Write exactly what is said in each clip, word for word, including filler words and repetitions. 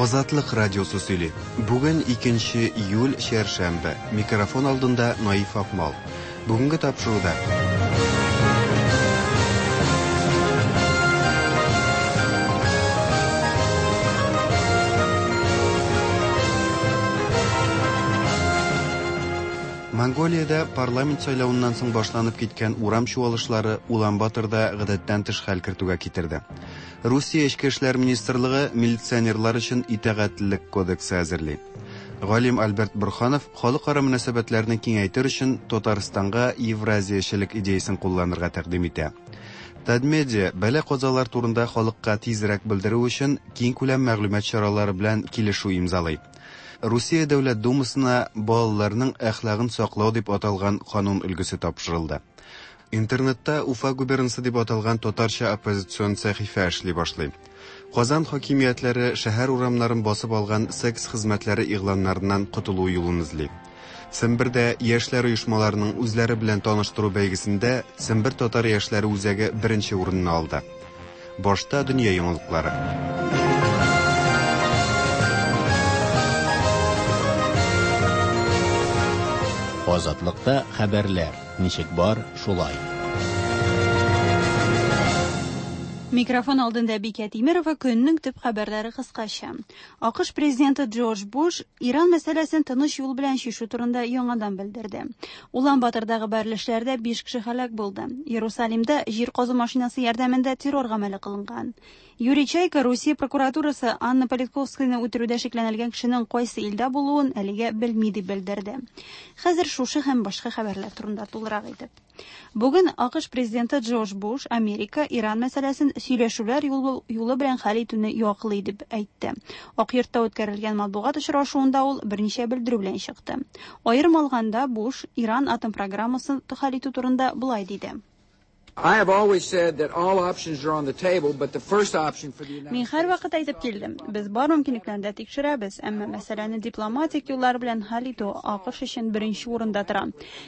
Азатлык радиосы сөйли. Бүген икенче июль, чәршәмбе. Микрофон алдында Наиф Акмал. Бүгенге тапшыруда Монголиядә парламент сайлавыннан соң башланып киткән урам чуалышлары Улан-Баторда гадәттән тыш хәл кертүгә китерде. Русия Эчке эшләр министрлыгы милиционерлар өчен итагатьлелек кодексы әзерли. Галим Альберт Бурханов халыкара мөнәсәбәтләрне киңәйтер өчен Татарстанга евразиячелек идеясын кулланырга тәкъдим итә. Татмедиа бәла-казалар турында халыкка тизрәк белдерү өчен киңкүләм мәгълүмат чаралары белән килешү имзалый. Русия Дәүләт Думасына балаларның әхлагын саклау дип аталган канун өлгесе тапшырылды. Интернетта Уфа губернасы дип аталган татарча оппозицион сәхифә эшли башлый. Казан хакимиятләре шәһәр урамнарын басып алган секс хезмәтләре игъланнарыннан котылу юлын эзли. Сембердә яшьләр оешмаларының үзләре белән таныштыру бәйгесендә Сембер татар яшьләре үзәге беренче урынны алды. Башта дөнья яңалыклары. Азатлыкта хәбәрләр ничек бар, шулай. Микрофон алдында Бикә Тимирова. Көннең төп хәбәрләре кыскача. А К Ш президенты Джордж Буш Иран мәсьәләсен тыныч юл белән чишү турында яңадан белдерде. Улан-Батордагы бәрелешләрдә биш кеше һәлак булды. Иерусалимда җир казу машинасы ярдәмендә террор гамәле кылынган. Юрий Чайка Русия прокуратурасы Анна Политковскаяны үтерүдә шикләнелгән кешенең кайсы илдә булуын әлегә белми дип белдерде. Хәзер шушы һәм башка хәбәрләр турында тулырак итеп. Бүген А К Ш президенты Джордж Буш Америка Иран мәсьәләсен сөйләшүләр юлы, юлы белән хәл итүне яклый дип әйтте. Ак йортта үткәрелгән матбугат очрашуында ул берничә белдерү белән чыкты. Аерым алганда, Буш Иран атом программасын хәл итү турында болай диде. I have always said that all options are on the table, but the first option for the United Мин һәрвакыт әйтеп килдем, без бар мөмкинлекләрне дә тикшерәбез, әмма мәсьәләне дипломатик юллар белән хәл итү А К Ш өчен беренче урында тора.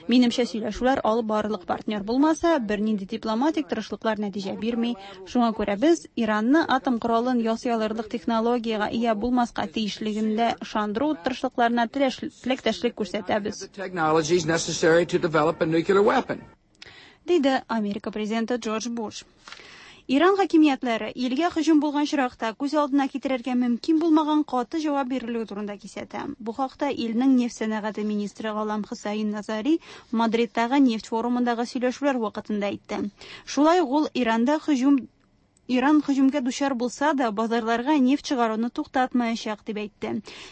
Минемчә, сөйләшүләр алып барырлык партнер булмаса, бернинди дипломатик тырышлыклар нәтиҗә бирми. Шуңа күрә без Иранны атом коралын ясый алырлык технологиягә ия булмаска тиешлегендә ышандыру тырышлыкларына теләктәшлек күрсәтәбез. the technologies necessary to develop a nuclear weapon. Диде Америка президенты Джордж Буш. Иран хакимиятләре илгә һөҗүм булган очракта күз алдына китерергә мөмкин булмаган каты җавап бирелүе турында кисәтә. Бу хакта илнең нефть сәнәгате министры Галам Хусайн Назари Мадридтагы нефть форумындагы сөйләшүләр вакытында әйтте. Шулай ук ул Иранда һөҗүм Иран һөҗүмгә дучар булса да, базарларга нефть чыгаруны туктатмаячак дип әйтте.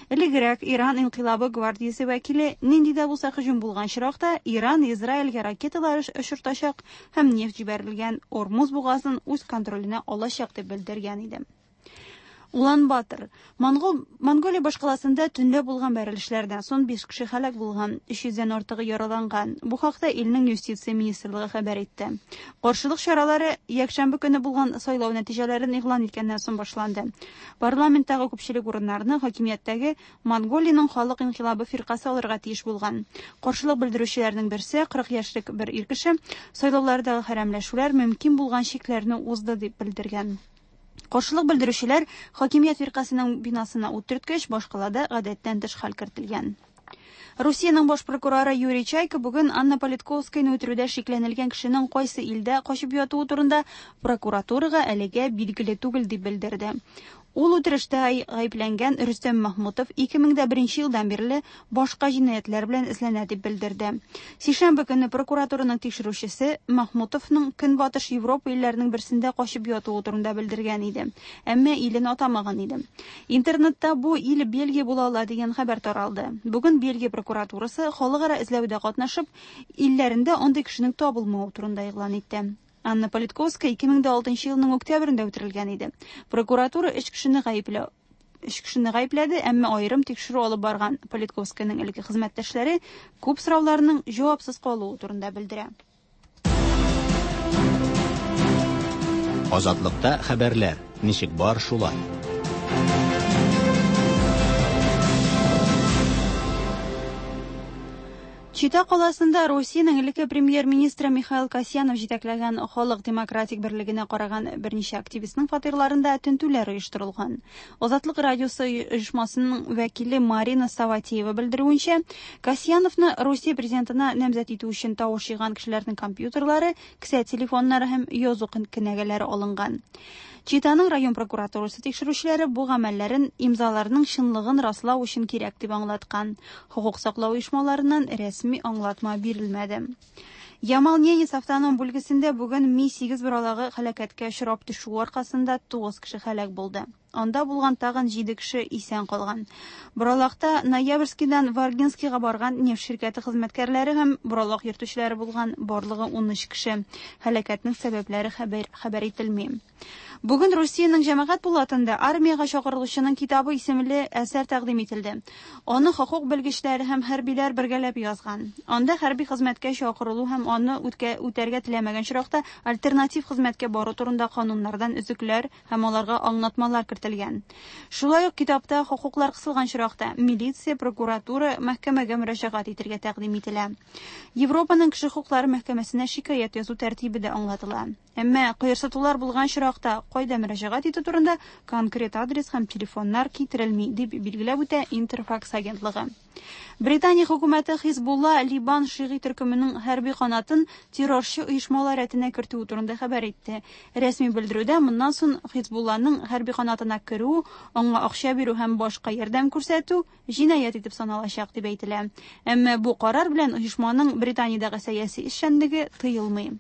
Элегрәк Иран инкыйлабы гвардиясе вәкиле нинди дә булса һөҗүм булган очракта Иран Израильгә ракеталар очыртачак һәм нефть җибәрелгән Ормуз бугазын үз контроленә алачак дип белдергән иде. Улан-Батор. Монгол, Монголия башкаласында төнлә булган бәрелешләрдән соң биш кеше һәлак булган, өч йөздән артыгы яраланган. Бу хакта илнең юстиция министрлыгы хәбәр итте. Каршылык чаралары якшәмбе көне булган сайлау нәтиҗәләрен игълан иткәннән соң башланды. Парламенттагы күпчелек урыннарны хакимияттәге Монголиянең халык инкыйлабы фиркасе алырга тиеш булган. Каршылык белдерүчеләрнең берсе, кырык яшьлек бер ир кеше, сайлаулардагы хәрәмләшүләр мөмкин булган чикләрне узды дип белдергән. Каршылык белдерүчеләр хакимият фиркасының бинасына ут төрткәч, башкалада гадәттән тыш хәл кертелгән. Русиянең баш прокуроры Юрий Чайка бүген Анна Политковскаяны үтерүдә шикләнелгән кешенең кайсы илдә качып ятуы турында прокуратурага әлегә билгеле түгел дип белдерде. Ул үтерештә гаепләнгән Рөстәм Махмутов ике мең беренче елдан бирле башка җинаятьләр белән эзләнә дип белдерде. Сишәмбе көне прокуратураның тикшерүчесе Махмутовның Көнбатыш Европа илләренең берсендә качып ятуы турында белдергән иде, әмма илен атамаган иде. Интернетта бу ил Бельгия була ала дигән хәбәр таралды. Бүген Бельгия прокуратурасы халыкара эзләүдә катнашып, илләрендә андый кешенең табылмавы турында игълан итте. Анна Политковская ике мең алтынчы елның октябрендә үтерелгән иде. Прокуратура өч кешене гаепләү өч кешене гаепләде, әмма аерым тикшерү алып барган Политковскаяның элекке хезмәттәшләре күп сорауларның җавапсыз калуы турында белдерә. Азатлыкта хәбәрләр ничек бар, шулай. Чита каласында Русиянең элекке премьер-министры Михаил Касьянов җитәкләгән Халык демократик берлегенә караган берничә активистның фатирларында тентүләр оештырылган. Азатлык радиосы оешмасының вәкиле Марина Саватеева белдерүенчә, Касьяновны Русия президентына намзәт итү өчен тавыш җыйган кешеләрнең компьютерлары, кесә телефоннары һәм язу кенәгәләре алынган. Читаның район прокуратурасы тикшерүчеләре бу гамәлләрен имзаларның чынлыгын раслау өчен кирәк дип аңлаткан. Хокук саклау оешмаларыннан рәсми аңлатма бирелмәде. Ямал-Ненец автоном бүлгесендә бүген Ми сигез боралагы һәлакәткә очрап төшү аркасында тугыз кеше һәлак булды. Анда булган тагын җиде кеше исән калган. Боралакта Ноябрьскийдан Варгинскийга барган нефть ширкәте хезмәткәрләре һәм боралак йөртүчеләре булган барлыгы ун өч кеше. Һәлакәтнең сәбәпләре хәбәр, хәбәр ителми. Бүген Русиянең җәмәгать пулатында армиягә чакырылучының китабы исемле әсәр тәкъдим ителде. Аны хокук белгечләре һәм хәрбиләр бергәләп язган. Анда хәрби хезмәткә чакырылу һәм аны үткә, үтәргә теләмәгән очракта альтернатив хезмәткә бару турында кануннардан өзекләр һәм аларга аңлатмалар кертелгән. Шулай ук китапта хокуклар кысылган очракта милиция, прокуратура, мәхкәмәгә мөрәҗәгать итәргә тәкъдим ителә. Европаның кеше хокуклары мәхкәмәсенә шикаять язу тәртибе дә аңлатыла. Әмма кыерсытулар булган очракта кайда мөрәҗәгать итү турында конкрет адрес һәм телефоннар китерелми, дип билгеләп үтә Интерфакс агентлыгы. Британия хөкүмәте Хизбулла Либан шигый төркеменең хәрби канатын террорчы оешмалар рәтенә кертүе турында хәбәр итте. Рәсми белдерүдә моннан соң Хизбулланың хәрби канатына керү, аңа акча бирү һәм башка ярдәм күрсәтү җинаять итеп саналачак дип әйтелә. Әмма бу карар белән оешманың Британиядәге сәяси эшчәнлеге тыелмый.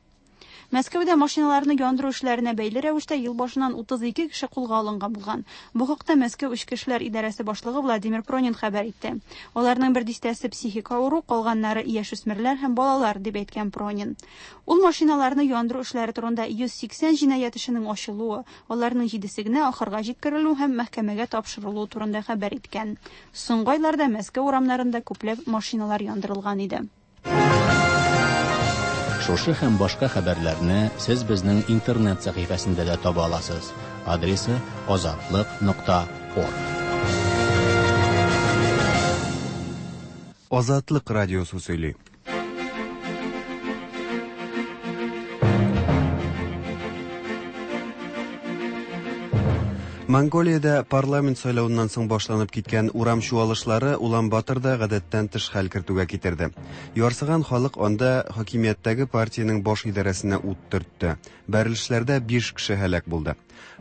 Мәскәүдә машиналарны яндыру эшләренә бәйле рәвештә ел башыннан утыз ике кеше кулга алынган булган. Бу хакта Мәскәү Эчке эшләр идарәсе башлыгы Владимир Пронин хәбәр итте. Аларның бер дистәсе психик авыру, калганнары яшүсмерләр һәм балалар, дип әйткән Пронин. Ул машиналарны яндыру эшләре турында йөз сиксән җинаять эшенең ачылуы, аларның җидесе генә ахырга җиткерелү һәм мәхкәмәгә тапшырылуы турында хәбәр иткән. Соңгы айларда Мәскәү урамнарында күпләп машиналар яндырылган иде. Шушы һәм башка хәбәрләрне сез безнең интернет сәхифәсендә дә таба аласыз. Адресы азатлык нокта орг. Азатлык радиосы сөйли. Монголиядә парламент сайлавыннан соң башланып киткән урам чуалышлары Улан-Баторда гадәттән тыш хәл кертүгә китерде. Ярсыган халык анда хакимияттәге партиянең баш идарәсенә ут төртте. Бәрелешләрдә биш кеше һәлак булды.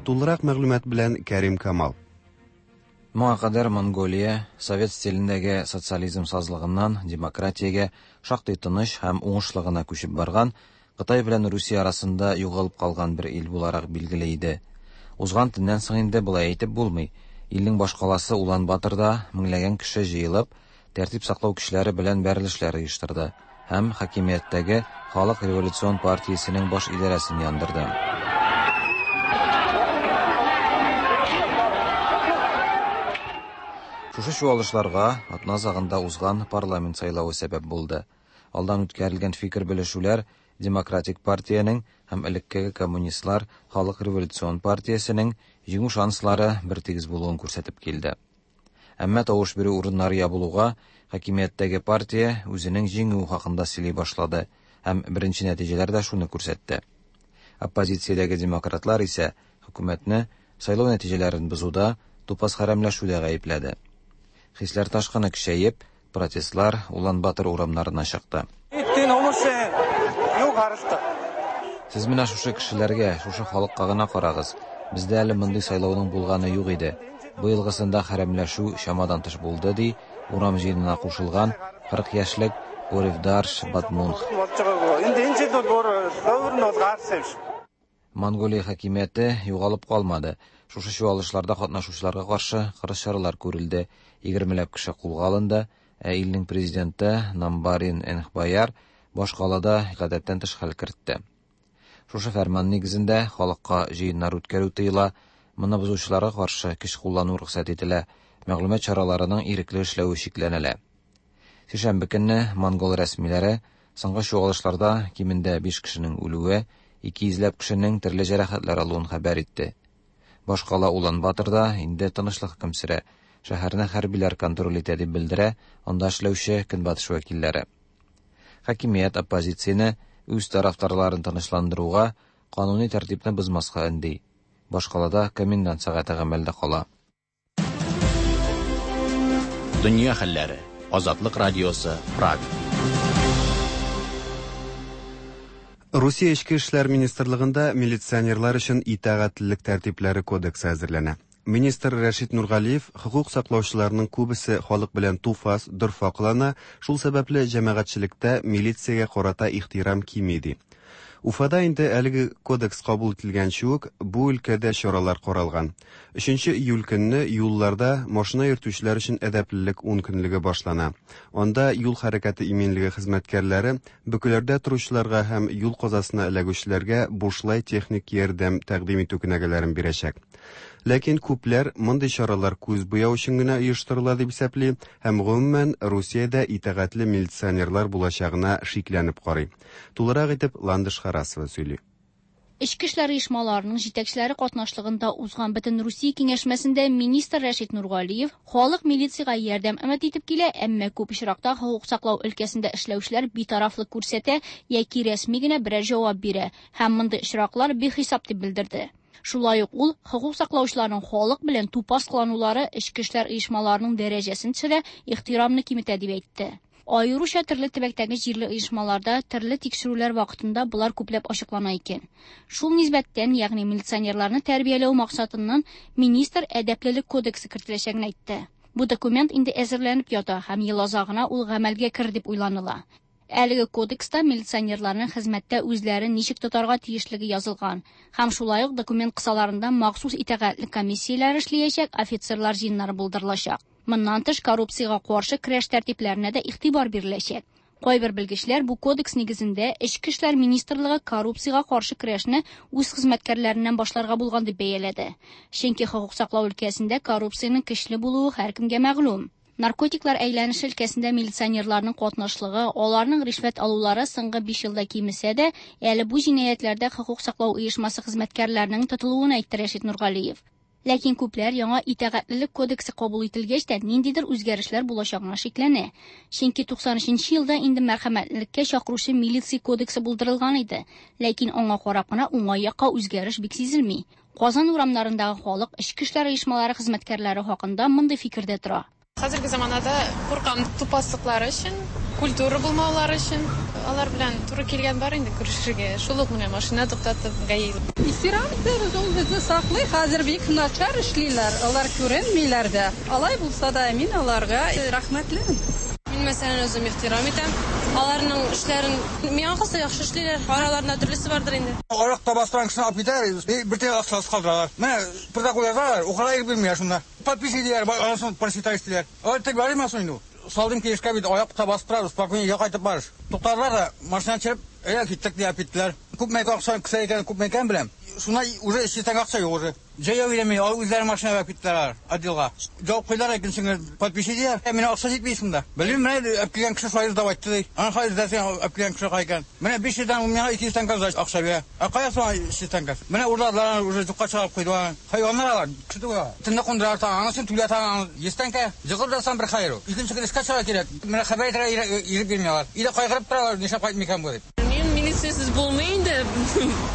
Тулырак мәгълүмат белән Кәрим Камал. Моңа кадәр Монголия совет стилендәге социализм сазлыгыннан демократиягә шактый тыныч һәм уңышлы гына күчеп барган, Кытай белән Русия арасында югалып калган бер ил буларак билгеле иде. Узган төннән соң инде болай әйтеп булмый. Илнең башкаласы Улан-Баторда меңләгән кеше җыелып, тәртип саклау көчләре белән бәрелешләр оештырды һәм хакимияттәге Халык революцион партиясенең баш идарәсен яндырды. Шушы чуалышларга атна азагында узган парламент сайлавы сәбәп булды. Алдан үткәрелгән фикер белешүләр Демократик партиянең һәм элеккеге коммунистлар Халык революцион партиясенең җиңү шанслары бертигез булуын күрсәтеп килде. Әмма тавыш бирү урыннары ябылуга хакимияттәге партия үзенең җиңүе хакында сөйли башлады һәм беренче нәтиҗәләр дә шуны күрсәтте. Оппозициядәге демократлар исә хөкүмәтне сайлау нәтиҗәләрен бозуда, тупас хәрәмләшүдә гаепләде. Хисләр ташкыны көчәеп, протестлар Улан-Батор урамнарына чыкты. Сез менә шушы кешеләргә, шушы халыкка гына карагыз. Бездә әле мондый сайлауның булганы юк иде. Бу елгысында хәрәмләшү чамадан тыш булды, ди урам җыенына кушылган кырык яшьлек Оревдарш Батмунх. Монголия хакимияте югалып калмады. Шушы чуалышларда катнашучыларга каршы кырыс чаралар күрелде. Егермеләп кеше кулга алынды. Ә илнең президенты Намбарин Энхбаяр башкалада гадәттән тыш хәл кертте. Шушы фәрман нигезендә халыкка җыеннар үткәрү тыела, моны бозучыларга каршы көч куллану рөхсәт ителә, мәгълүмат чараларының ирекле эшләве чикләнелә. Сишәмбе көнне монгол рәсмиләре соңгы чуалышларда кимендә биш кешенең үлүе, ике йөзләп кешенең төрле җәрәхәтләр алуын хәбәр итте. Башкала Улан-Баторда инде тынычлык хөкем сөрә. Шәһәрне хәрбиләр контроль итә дип белдерә анда эшләүче көнбатыш вәкилләре. Хакимият оппозицияне үз тарафдарларын тынычландыруга, кануни тәртипне бозмаска өнди. Башкалада комендант сәгате гамәлдә кала. Дөнья хәлләре. Азатлык радиосы, Прага. Русия Эчке эшләр министрлыгында милиционерлар өчен итагатьлелек тәртипләре кодексы әзерләнә. Министр Рәшит Нургалиев хокук саклаучыларның күбесе халык белән туфас, дорфа кылана, шул сәбәпле җәмәгатьчелектә милициягә карата ихтирам кими ди. Уфада инде әлеге кодекс кабул ителгәнче үк бу өлкәдә чаралар каралган. Өченче июль көнне юлларда машина йөртүчеләр өчен әдәплелек ун көнлеге башлана. Анда юл хәрәкәте иминлеге хезмәткәрләре бөкеләрдә торучыларга һәм юл казасына эләгүчеләргә бушлай техник ярдәм тәкъдим итү кенәгәләрен бирәчәк. Ләкин күпләр мондый чаралар күз буяу өчен генә оештырыла дип исәпли һәм гомумән Русиядә итагатьле милиционерлар булачагына шикләнеп карый. Тулырак итеп Ландыш Харасова сөйли. Эчке эшләр оешмаларының җитәкчеләре катнашлыгында узган бөтен Русия киңәшмәсендә министр Рәшит Нургалиев халык милициягә ярдәм өмет итеп килә, әмма күп очракта хокук саклау өлкәсендә эшләүчеләр битарафлык күрсәтә яки рәсми генә берәр җавап бирә һәм мондый очраклар бихисап дип белдерде. Шулай ук ул хокук саклаучыларның халык белән тупас кыланулары эчке эшләр оешмаларының дәрәҗәсен төшерә, ихтирамны киметә дип әйтте. Аеруча төрле төбәктәге җирле оешмаларда төрле тикшерүләр вакытында болар күпләп ачыклана икән. Шул нисбәттән, ягъни милиционерларны тәрбияләү максатыннан министр әдәплелек кодексы кертеләчәген әйтте. Бу документ инде әзерләнеп ята һәм ел азагына ул гамәлгә керер дип уйланыла. Әлеге кодекста милиционерларның хезмәттә үзләрен ничек тотарга тиешлеге язылган. Һәм шулай ук документ кысаларында махсус итагатьле комиссияләр эшләячәк, офицерлар җыеннары булдырылачак. Моннан тыш коррупциягә каршы көрәш тәртипләренә дә игътибар биреләчәк. Кайбер белгечләр бу кодекс нигезендә Эчке эшләр министрлыгы коррупциягә каршы көрәшне үз хезмәткәрләреннән башларга булган дип бәяләде. Чөнки хокук саклау өлкәсендә коррупциянең көчле булуы һәркемгә мәгълүм. Наркотиклар әйләнеше өлкәсендә милиционерларның катнашлыгы, аларның ришвәт алулары соңгы биш елда кимесә дә, әле бу җинаятьләрдә хокук саклау оешмасы хезмәткәрләренең тотылуын әйтте Рәшит Нургалиев. Ләкин күпләр яңа итагатьлелек кодексы кабул ителгәч тә ниндидер үзгәрешләр булачагына шикләнә. Чөнки туксан өченче елда инде мәрхәмәтлеккә чакыручы милиция кодексы булдырылган иде. Ләкин аңа карап кына уңай якка үзгәреш бик сизелми. Казан урамнарындагы халык эчке эшләр оешмалары хезмәткәрләре хакында мондый фикердә тора. Хәзерге заманада куркам тупаслыклары өчен, культура булмаулары өчен. Алар белән туры килгән бар инде күрешергә. Шул ук менә машина туктатып ГАИ. Ихтирам итәбез, ул безне саклый. Хәзер бик начар эшлиләр, алар күренмиләр дә. Алай булса да мин аларга рәхмәтлемен. Мин мәсәлән үзем ихтирам итәм. Аларның эшләрен миңа калса яхшы эшлиләр. Араларында төрлесе бардыр инде. Аракта бастырган кешене алып китәләр, бер тиен акчасы калдыралар. Менә протокол язалар, укырга ирек бирмиләр шунда. Подписи диләр, анысын прочитай диләр. Алар тик бармы соң инде? Салдым килешкә бит аякта басып торабыз, спокойно өйгә кайтып барыш. Туктадылар да, машина төшереп, әйдә киттек дип киттеләр. Күпме акча кесә икән, күпме икән беләм. Шуна уже өч йөз акча юк уже. Җәяү йөрми, алар үзләре машина алып киттеләр отделга. Җавап куйдылар, икенче подписи диләр. Ә менә акча җитми шунда. Белмим, менә алып килгән кеше шулай сдавать итте ди. Аны хәзер эзләсәң, алып килгән кеше кая икән? Менә биш йөздән ул миңа ике йөз тәңкә акча бирә. Ә кая соң өч йөз тәңкә? Менә урладылар, уже юкка чыгарып куйдылар. Хайваннар алар, кеше түгел алар. Төнне кундыралар, анысын түләтә, йөз тәңкә. Җыгылып ятсаң бер хәер ул. Икенче көн эшкә чыгарга кирәк. Менә хәбәр итәргә ирек бирми алар. Өйдә кайгырып торалар, нишләп кайтмый икән бу дип. Мин милициясез булмый инде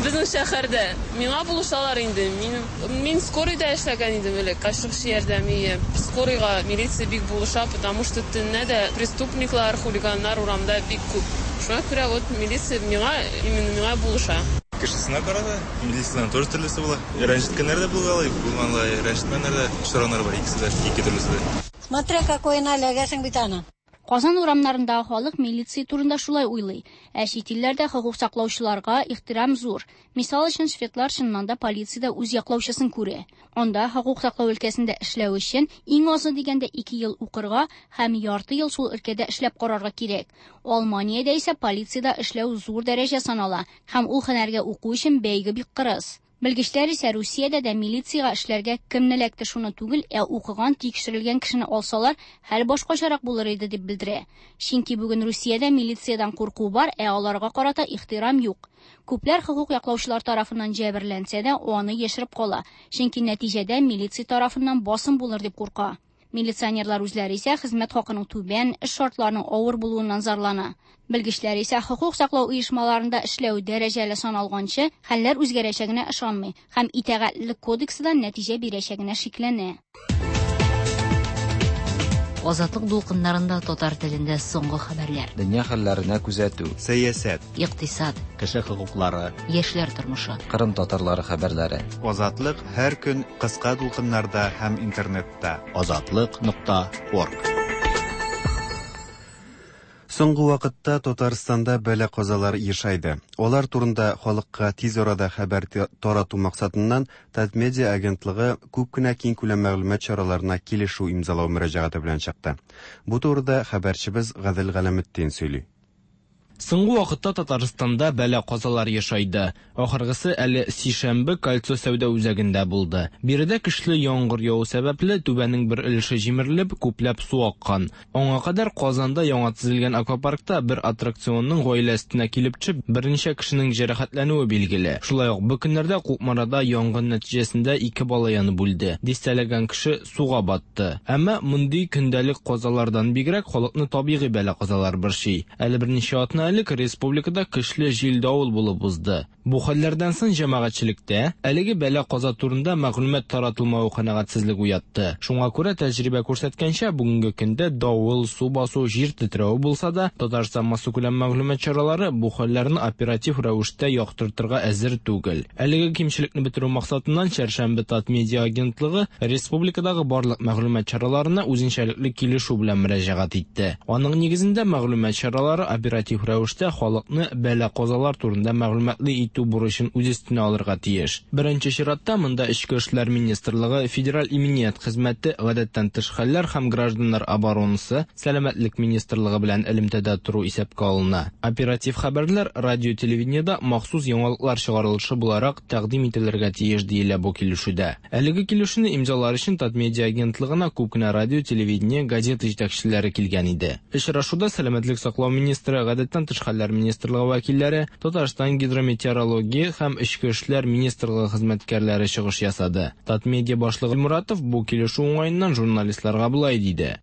безнең шәһәрдә. Миңа булышалар инде. Мин мин скорыйда эшләгән идем элек, ашыгыч ярдәм ие. Скорыйга милиция бик булыша, потому что төнлә дә преступниклар, хулиганнар урамда бик күп. Шуңа күрә вот милиция миңа, именно миңа булыша. Кешесенә карата милициянең тоже төрлесе була. Рәнҗеткәннәр дә булгалый, булманлар, рәнҗетмәннәр дә очраганнар бар, икесе дә, ике төрлесе дә. Смотря какой налегәсең бит аны. Казан урамнарындагы халык милиция турында шулай уйлый. Ә чит илләрдә хокук саклаучыларга ихтирам зур. Мисал өчен, шведлар чыннан да полициядә үз яклаучысын күрә. Анда хокук саклау өлкәсендә эшләү өчен иң азы дигәндә ике ел укырга һәм ярты ел шул өлкәдә эшләп карарга кирәк. Алманиядә исә полициядә эшләү зур дәрәҗә санала һәм ул һөнәргә уку өчен бәйге бик кырыс. Белгечләр исә Русиядә дә милициягә эшләргә кемне эләкте шуны түгел, ә укыган, тикшерелгән кешене алсалар, хәл башкачарак булыр иде дип белдерә. Чөнки бүген Русиядә милициядән курку бар, ә аларга карата ихтирам юк. Күпләр хокук яклаучылар тарафыннан җәберләнсә дә, аны яшереп кала. Чөнки нәтиҗәдә милиция тарафыннан басым булыр дип курка. Милиционерлар үзләре исә хезмәт хакының түбән, эш шартларының авыр булуыннан зарлана. Белгечләр исә хокук саклау оешмаларында эшләү дәрәҗәле саналганчы хәлләр үзгәрәчәгенә ышанмый һәм итагатьлелек кодексы да нәтиҗә бирәчәгенә шикләнә. Азатлык дулкыннарында татар телендә соңгы хәбәрләр. Дөнья хәлләренә күзәтү. Сәясәт. Икътисад. Кеше хокуклары. Яшьләр тормышы. Кырым татарлары хәбәрләре. Азатлык һәр көн кыска дулкыннарда һәм интернетта. Азатлык нокта орг. Соңгы вакытта Татарстанда бәла-казалар ешайды. Алар турында халыкка тиз арада хәбәр тарату максатыннан Татмедиа агентлыгы күп кенә киң күләм мәгълүмат чараларына килешү имзалау мөрәҗәгате белән чыкты. Бу турыда хәбәрчебез Гадел Галәметдин сөйли. Соңгы вакытта Татарстанда бәла-казалар ешайды. Ахыргысы әле сишәмбе Кольцо сәүдә үзәгендә булды. Биредә көчле яңгыр яву сәбәпле түбәнең бер өлеше җимерелеп, күпләп су аккан. Аңа кадәр Казанда яңа төзелгән аквапаркта бер аттракционның гаилә өстенә килеп төшеп, берничә кешенең җәрәхәтләнүе билгеле. Шулай ук бу көннәрдә Кукмарада янгын нәтиҗәсендә ике бала янып үлде. Дистәләгән кеше суга батты. Әмма мондый көндәлек казалардан бигрәк халыкны табигый бәла-казалар борчый. Әле берничә атна элек республикада көчле җил-давыл булып узды. Бу хәлләрдән соң җәмәгатьчелектә әлеге бәла-каза турында мәгълүмат таратылмавы канәгатьсезлек уятты. Шуңа күрә тәҗрибә күрсәткәнчә, бүгенге көндә давыл, су басу, җир тетрәве булса да, Татарстан массакүләм мәгълүмат чаралары бу хәлләрне оператив рәвештә яктыртырга әзер түгел. Әлеге кимчелекне бетерү максатыннан Чәршәмбе Татмедиа агентлыгы республикадагы барлык мәгълүмат чараларына үзенчәлекле килешү белән мөрәҗәгать итте. Аның нигезендә мәгълүмат чаралары оператив рәвештә халыкны бәла-казалар турында мәгълүматлы итү бурычын үз өстенә алырга тиеш. Беренче чиратта монда Эчке эшләр министрлыгы, Федераль иминият хезмәте, гадәттән тыш хәлләр һәм гражданнар оборонасы, Сәламәтлек министрлыгы белән элемтәдә тору исәпкә алына. Оператив хәбәрләр радио телевидениедә махсус яңалыклар чыгарылышы буларак тәкъдим ителергә тиеш диелә бу килешүдә. Әлеге килешүне имзалар өчен Татмедиа агентлыгына күп кенә радио, телевидение, газета җитәкчеләре килгән иде. Очрашуда Сәламәтлек саклау министры, гадәттән тыш хәлләр министрлыгы вәкилләре, Татарстан гидрометеорология һәм Эчке эшләр министрлыгы хезмәткәрләре чыгыш ясады. Татмедиа башлыгы Муратов бу килешү уңаеннан журналистларга болай диде.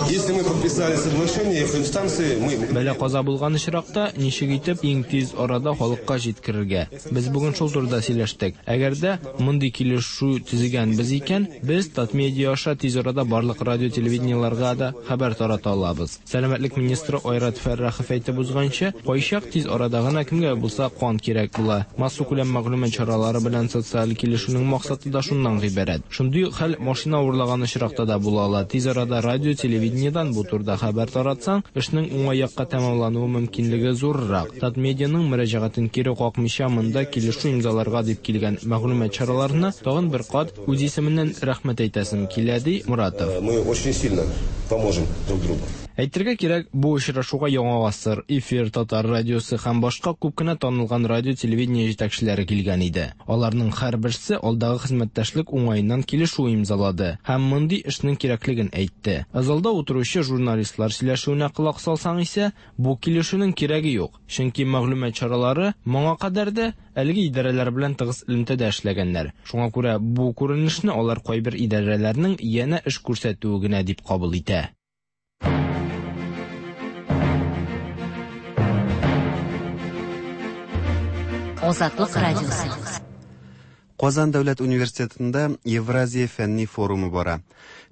Если мы подписали соглашение, инстанции мы Бәла-каза булган очракта ничек итеп иң тиз арада халыкка җиткерергә? Без бүген шул турыда сөйләштек. Әгәр дә мондый килешү төзегәнбез икән, без Татмедиа аша тиз арада барлык радио телевидениеларга да хәбәр тарата алабыз. Сәламәтлек министры Айрат Фәррахов әйтеп узганча, кайчак тиз арада гына кемгә булса кан кирәк була. Массакүләм мәгълүмат чаралары белән социаль килешүнең максаты да шуннан гыйбарәт. Шундый хәл машина урлаган очракта да була ала. Тиз арада радио телевидениедән бу турыда хәбәр таратсаң, эшнең уңай якка тәмамлануы мөмкинлеге зуррак. Татмедианың мөрәҗәгатен кире какмыйча монда килешү имзаларга дип килгән мәгълүмат чараларына тагын бер кат үз исеменнән рәхмәт әйтәсем килә, ди Муратов. Мы очень сильно поможем друг другу. Әйтергә кирәк, бу очрашуга Яңа гасыр, Эфир, Татар радиосы һәм башка күп кенә танылган радио телевидение җитәкчеләре килгән иде. Аларның һәрберсе алдагы хезмәттәшлек уңаеннан килешү имзалады һәм мондый эшнең кирәклеген әйтте. Залда утыручы журналистлар сөйләшүенә колак салсаң исә, бу килешүнең кирәге юк, чөнки мәгълүмат чаралары моңа кадәр дә әлеге идарәләр белән тыгыз элемтәдә эшләгәннәр. Шуңа күрә бу күренешне алар кайбер идарәләрнең янә эш күрсәтүе генә дип кабул итә. Азатлык радиосы. Казан дәүләт университетында Евразия фәнни форумы бара.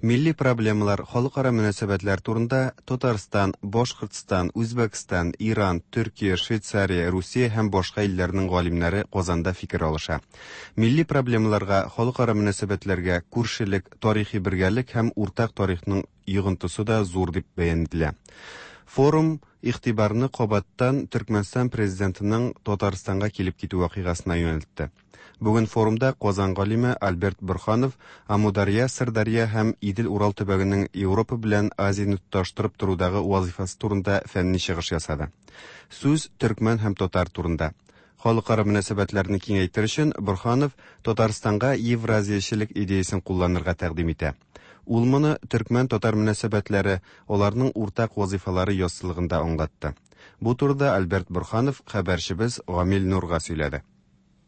Милли проблемалар, халыкара мөнәсәбәтләр турында Татарстан, Башкортстан, Үзбәкстан, Иран, Төркия, Швейцария, Русия һәм башка илләрнең галимнәре Казанда фикер алыша. Милли проблемаларга, халыкара мөнәсәбәтләргә күршелек, тарихи бергәлек һәм уртак тарихның йогынтысы да зур дип бәян ителә. Форум игътибарны кабаттан Төркмәнстан президентының Татарстанга килеп китү вакыйгасына юнәлтте. Бүген форумда Казан галиме Альберт Бурханов Амударья, Сырдарья һәм Идел-Урал төбәгенең Европа белән Азияне тоташтырып торудагы вазифасы турында фәнни чыгыш ясады. Сүз төркмән һәм татар турында. Халыкара мөнәсәбәтләрне киңәйтер өчен Бурханов Татарстанга евразиячелек идеясын кулланырга тәкъдим итә. Ул моны төркмән-татар мөнәсәбәтләре, аларның уртак вазифалары яссылыгында аңлатты. Бу турыда Альберт Бурханов хәбәрчебез Гамил Нурга сөйләде.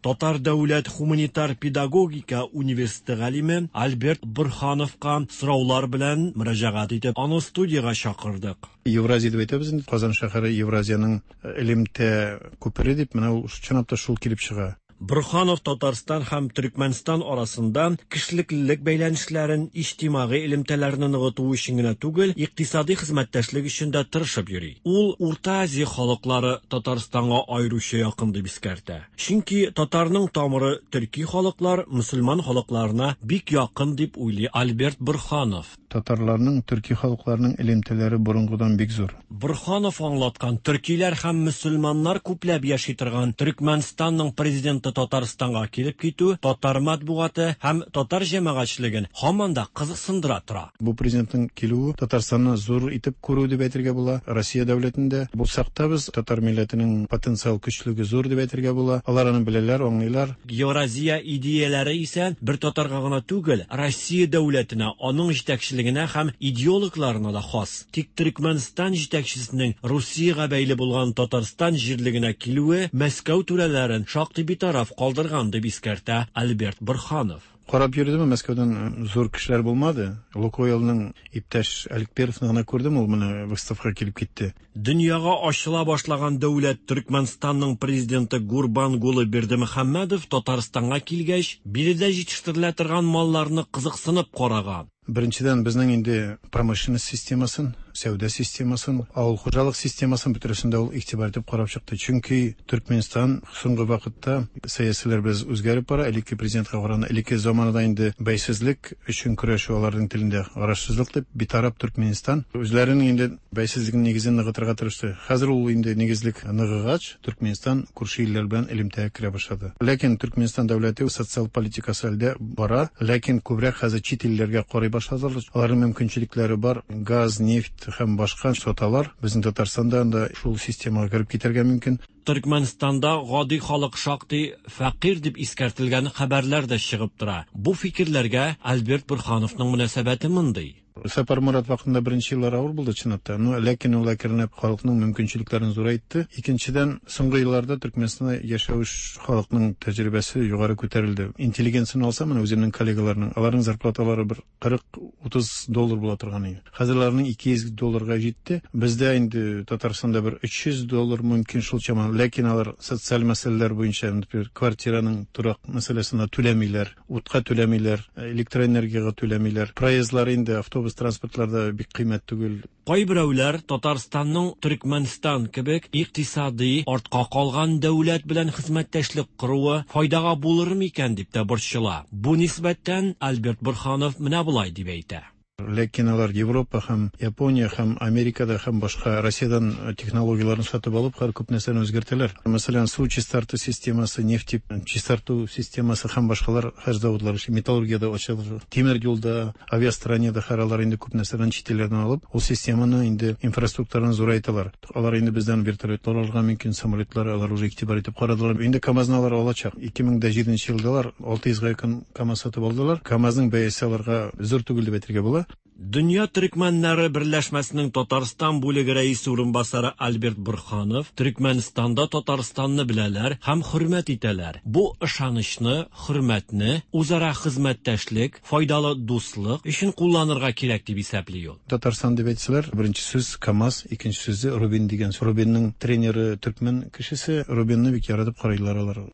Татар дәүләт һуманитар педагогика университеты галиме Альберт Борһановка сораулар белән мөрәҗәгать итеп, аны студиягә чакырдык. Евразия дип әйтәбез инде, Казан шәһәре Евразиянең элемтә күпере дип, менә ул чынлап та шул килеп чыга. Борһанов Татарстан һәм Төркмәнстан арасында кешелеклелек бәйләнешләрен, иҗтимагый элемтәләрне ныгыту өчен генә түгел, икътисади хезмәттәшлек өчен дә тырышып йөри. Ул Урта Азия халыклары Татарстанга аеруча якын дип искәртә. Чөнки татарның тамыры төрки халыклар, мөселман халыкларына бик якын дип уйлый Альберт Борһанов. Татарларның төрки халыкларының элемтәләре борынгыдан бик зур. Борһанов аңлаткан төркиләр һәм мөселманнар күпләп яши торган Төркмәнстанның президенты Татарстанга килеп китү татар матбугаты һәм татар җәмәгатьчелеген һаман да кызыксындыра тора. Бу президентның килүе Татарстанны зур итеп күрү дип әйтергә була. Россия дәүләтендә булсак та без татар милләтенең потенциал көчлеге зур дип әйтергә була. Алар аны беләләр, аңлыйлар. Евразия идеяләре исә бер татарга гына түгел, Россия дәүләтенә, аның җитәкчелегенә һәм идеологларына да хас. Тик Төркмәнстан җитәкчесенең Русиягә бәйле булган Татарстан җирлегенә килүе Мәскәү түрәләрен шактый битараф калдырган дип искәртә Альберт Борһанов. Карап йөрдем, Мәскәүдән зур кешеләр булмады. Лукойлның иптәш Аликперовны гына күрдем, ул менә выставкага килеп китте. Дөньяга ачыла башлаган дәүләт Төркмәнстанның президенты Гурбангулы Бердымөхәммәдов Татарстанга килгәч, биредә җитештерелә торган малларны кызыксынып караган. Беренчедән, безнең инде промышленность системасын, сәүдә системасын, авыл хуҗалык системасын бөтересендә ул игътибар итеп карап чыкты. Чөнки Төркмәнстан соңгы вакытта сәясиләр без үзгәреп бара, элекке президентка караганда элекке заманада инде бәйсезлек өчен көрәшү аларның телендә карашсызлык дип битараф Төркмәнстан үзләренең инде бәйсезлеген нигезен ныгытырга тырышты. Хәзер ул инде нигезлек ныгыгач, Төркмәнстан күрше илләр белән элемтәгә керә башлады. Ләкин Төркмәнстан дәүләте социаль политикасы әлдә бара, ләкин күбрәк хәзер чит илләргә карый башладылар. Аларның мөмкинчелекләре бар, газ, нефть һәм башка саталар. Безнең Татарстанда анда шул системага кереп китәргә мөмкин. Төркмәнстанда гади халык шактый фәкыйрь дип искәртелгән хәбәрләр дә чыгып тора. Бу фикерләргә Альберт Борһановның мөнәсәбәте мондый. Сапар Мурат вакытында беренче еллар авыр булды чынлап та. Но ләкин ул әкренләп халыкның мөмкинчелекләрен зурайтты. Икенчедән, соңгы елларда Төркмәнстанда яшәүче халыкның тәҗрибәсе югары күтәрелде. Интеллигенцияне алсам, менә үземнең коллегаларның, аларның зарплаталары бер кырык утыз доллар була торган иде. Хәзер аларның ике йөз долларга җитте. Бездә инде Татарстанда бер өч йөз доллар мөмкин шул чама. Ләкин алар социаль мәсьәләләр буенча, например, квартираның торак мәсьәләсенә түләмиләр, утка түләмиләр, электроэнергиягә түләмиләр. Проездлар инде автобус транспортларда бик кыйммәт түгел. Кайберәүләр Татарстанның Төркмәнстан кебек икътисади артка калган дәүләт белән хезмәттәшлек коруы файдага булыр микән дип тә борчыла. Бу нисбәттән Альберт Борһанов менә болай дип әйтә. Ләкин алар Европа һәм Япония һәм Америкада һәм башка Россиядән технологияләрен сатып алып, һәр күп нәрсәне үзгәртәләр. Мәсәлән, су чистарту системасы, нефть чистарту системасы һәм башкалар һәр заводлар эшли, металлургиядә ачылыр, тимер юлда, авиастроениедә һәр алар инде күп нәрсәдән чит илләрдән алып, ул системаны инде инфраструктураны зурайталар. Алар инде бездән вертолетлар алырга мөмкин, самолетлар алар уже игътибар итеп карадылар. Инде КАМАЗны алар алачак. ике мең дә җиденче елда алар алты йөзгә якын КАМАЗ сатып алдылар. КАМАЗның бәясе аларга зур түгел дип әйтергә була. Дөнья төркмәннәре берләшмәсенең Татарстан бүлеге рәисе урынбасары Альберт Борһанов Төркмәнстанда Татарстанны беләләр һәм хөрмәт итәләр. Бу ышанычны, хөрмәтне, үзара хезмәттәшлек, файдалы дуслык өчен кулланырга кирәк дип исәпли ул. Татарстан дип әйтсәләр, беренче сүз КАМАЗ, икенче сүзе Рубин дигән. Рубинның тренеры төркмән кешесе, Рубинны бик яратып карыйлар алар.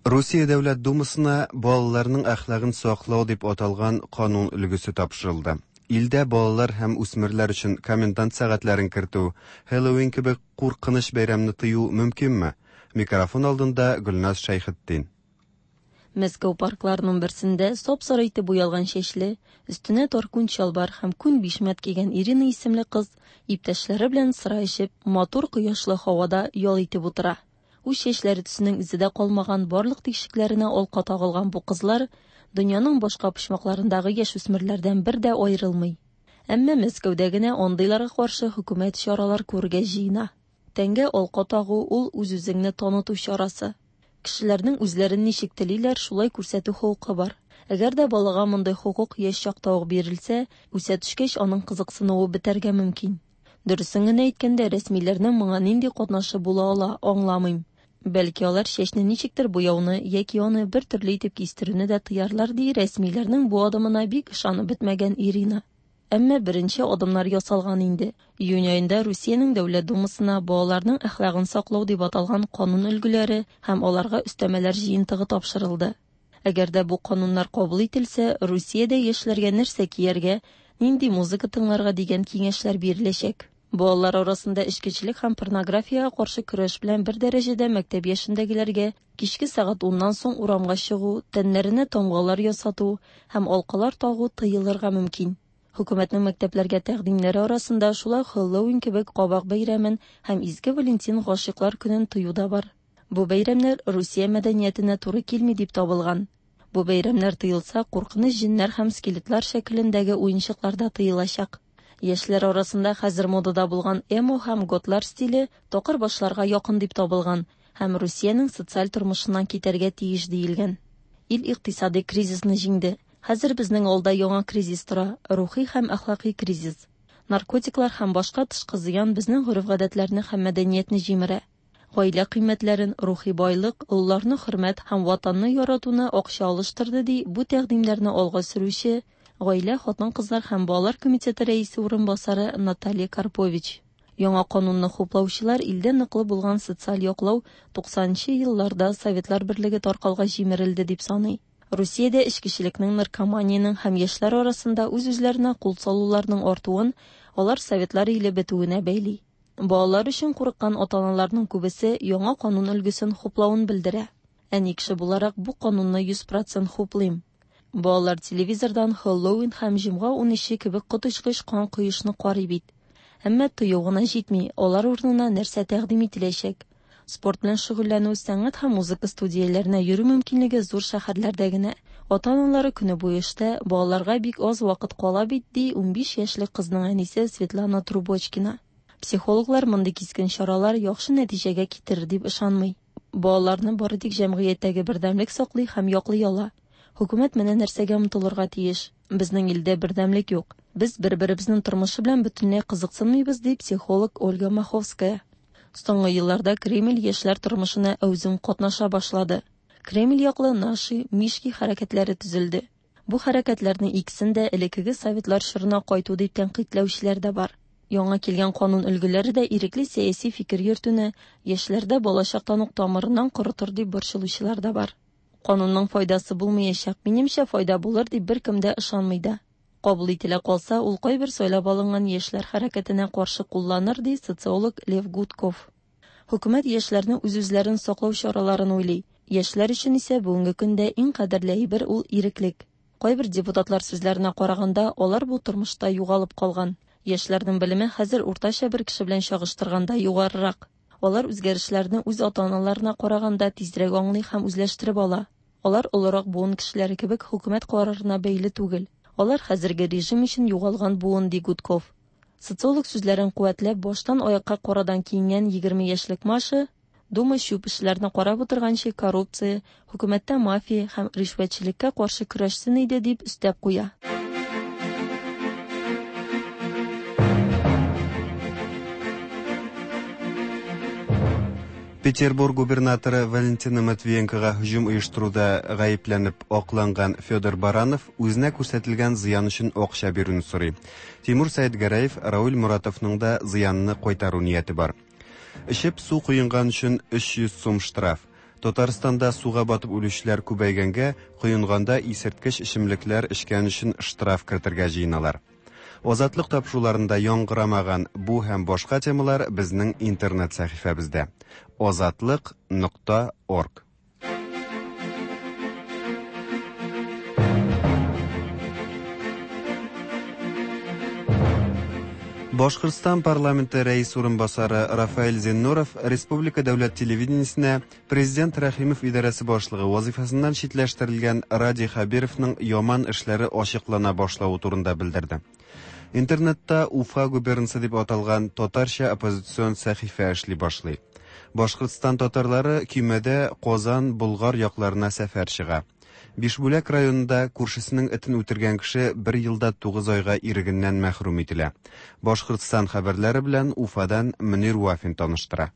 Русия Дәүләт Думасына балаларның әхлагын саклау дип аталган канун өлгесе тапшырылды. Илдә балалар һәм үсмерләр өчен комендант сәгатьләрен кертү, Хэллоуин кебек куркыныч бәйрәмне тыю мөмкинме? Микрофон алдында Гөлназ Шәйхетдин. Мәскәү паркларының берсендә сап-сары итеп буялган чәчле, өстенә тар күн чалбар һәм күн бишмәт кигән Ирина исемле кыз иптәшләре белән сыра эчеп, матур кояшлы һавада ял итеп утыра. Үз чәчләре төсенең эзе дә калмаган барлык тишекләренә алка тагылган бу кызлар дөньяның башка почмакларындагы яшүсмерләрдән бер дә аерылмый. Әмма Мәскәүдә генә андыйларга каршы хөкүмәт чаралар күрергә җыена. Тәнгә алка тагу ул үз-үзеңне таныту чарасы. Кешеләрнең үзләрен ничек телиләр, шулай күрсәтү хокукы бар. Әгәр дә балага мондый хокук яшь чакта ук бирелсә, үсә төшкәч аның кызыксынуы бетәргә мөмкин. Дөресен генә әйткәндә, рәсмиләрнең моңа нинди катнашы була ала, аңламыйм. Бәлки алар чәчне ничектер буяуны яки аны бер төрле итеп кистерүне дә тыярлар, ди рәсмиләрнең бу адымына бик ышанып бетмәгән Ирина. Әмма беренче адымнар ясалган инде. Июнь аенда Русиянең Дәүләт Думасына балаларның әхлагын саклау дип аталган канун өлгеләре һәм аларга өстәмәләр җыентыгы тапшырылды. Әгәр дә бу кануннар кабул ителсә, Русиядә яшьләргә нәрсә кияргә, нинди музыка тыңларга дигән киңәшләр биреләчәк. Балалар арасында эчкечелек һәм порнографиягә каршы көрәш белән бер дәрәҗәдә мәктәп яшендәгеләргә кичке сәгать уннан соң урамга чыгу, тәннәренә тамгалар ясату һәм алкалар тагу тыелырга мөмкин. Хөкүмәтнең мәктәпләргә тәкъдимнәре арасында шулай Хэллоуин кебек кабак бәйрәмен һәм Изге Валентин гашыйклар көнен тыю да бар. Бу бәйрәмнәр Русия мәдәниятенә туры килми дип табылган. Бу бәйрәмнәр тыелса, куркыныч җеннәр һәм скелетлар шәкелендәге уенчыклар да тыелачак. Яшьләр арасында хәзер модада булган эмо һәм готлар стиле такыр башларга якын дип табылган һәм Русиянең социаль тормышыннан китәргә тиеш диелгән. Ил икътисади кризисны җиңде. Хәзер безнең алда яңа кризис тора, рухи һәм әхлакый кризис. Наркотиклар һәм башка тышкы зыян безнең гореф-гадәтләрне һәм мәдәниятне җимерә. Гаилә кыйммәтләрен, рухи байлык, олыларны хөрмәт һәм ватанны яратуны акча алыштырды, ди бу тәкъдимнәрне алга сөрүче Гаилә, хатын-кызлар һәм балалар комитеты рәисе урынбасары Наталья Карпович. Яңа канунны хуплаучылар илдә ныклы булган социаль яклау туксанынчы елларда Советлар Берлеге таркалга җимерелде дип саный. Русиядә эчкечелекнең, наркоманиянең һәм яшьләр арасында үз-үзләренә кул салуларның артуын алар Советлар иле бетүенә бәйли. Балалар өчен курыккан ата-аналарның күбесе яңа канун өлгесен хуплавын белдерә. Әни кеше буларак бу канунны йөз процент хуплыйм. Балалар телевизордан Хэллоуин һәм җомга унөче кебек коточкыч кан коешны карый бит. Әмма тыю гына җитми, алар урынына нәрсә тәкъдим ителәчәк? Спорт белән шөгыльләнү, сәнгать һәм музыка студияләренә йөрү мөмкинлеге зур шәһәрләрдә генә. Ата-аналары көне буе эштә, балаларга бик аз вакыт кала бит, ди унбиш яшьлек кызның әнисе Светлана Трубочкина. Психологлар мондый кискен чаралар яхшы нәтиҗәгә китерер дип ышанмый. Балаларны бары тик җәмгыятьтәге бердәмлек саклый һәм яклый ала. Хөкүмәт менә нәрсәгә омтылырга тиеш. Безнең илдә бердәмлек юк. Без бер-беребезнең тормышы белән бөтенләй кызыксынмыйбыз, ди психолог Ольга Маховская. Соңгы елларда Кремль яшьләр тормышына әүзем катнаша башлады. Кремль яклы Наши, Мишки хәрәкәтләре төзелде. Бу хәрәкәтләрнең икесен дә элеккеге советлар чорына кайту дип тәнкыйтьләүчеләр дә бар. Яңа килгән канун өлгеләре дә ирекле сәяси фикер йөртүне яшьләрдә балачактан ук тамырыннан корытыр дип борчылучылар да бар. Канунның файдасы булмаячак, минемчә файда булыр дип беркем дә ышанмый да. Кабул ителә калса, ул кайбер сайлап алынган яшьләр хәрәкәтенә каршы кулланыр, ди социолог Лев Гудков. Хөкүмәт яшьләрне үз-үзләрен саклау чараларын уйлый. Яшьләр өчен исә бүгенге көндә иң кадерле әйбер ул иреклек. Кайбер депутатлар сүзләренә караганда, алар бу тормышта югалып калган. Яшьләрнең белеме хәзер уртача бер кеше белән чагыштырганда югарырак. Алар үзгәрешләрне үз ата-аналарына караганда тизрәк аңлый һәм үзләштереп ала. Алар олырак буын кешеләре кебек хөкүмәт карарына бәйле түгел. Алар хәзерге режим өчен югалган буын, ди Гудков. Социолог сүзләрен куәтләп, баштан аякка карадан киенгән егерме яшьлек Маша Дума чүп эшләрне карап утырганчы коррупция, хөкүмәттә мафия һәм ришвәтчелеккә каршы көрәшсен иде дип өстәп куя. Петербург губернаторы Валентина Матвиенкога һөҗүм оештыруда гаепләнеп акланган Федор Баранов үзенә күрсәтелгән зыян өчен акча бирүне сорый. Тимур Сәетгәрәев Рауль Муратовның да зыянны кайтару нияте бар. Эчеп су коенган өчен өч йөз сум штраф. Татарстанда суга батып үлүчеләр күбәйгәнгә, коенганда исерткеч эчемлекләр эчкән өчен штраф кертергә җыеналар. Азатлык тапшыруларында яңгырамаган бу һәм башка темалар безнең интернет сәхифәбездә. Азатлык нокта орг. Башкортстан парламенты рәис урынбасары Рафаэль Зиннуров Республика дәүләт телевидениесенә президент Рәхимов идарәсе башлыгы вазифасыннан читләштерелгән Радий Хәбировның яман эшләре ачыклана башлавы турында белдерде. Интернетта Уфа губернасы дип аталган татарча оппозицион сәхифә эшли башлый. Башкортстан татарлары көймәдә Казан, Болгар якларына сәфәр чыга. Бишбүләк районында күршесенең этен үтергән кеше бер елда тугыз айга ирегеннән мәхрүм ителә. Башкортстан хәбәрләре белән Уфадан Мөнир Вафин таныштыра.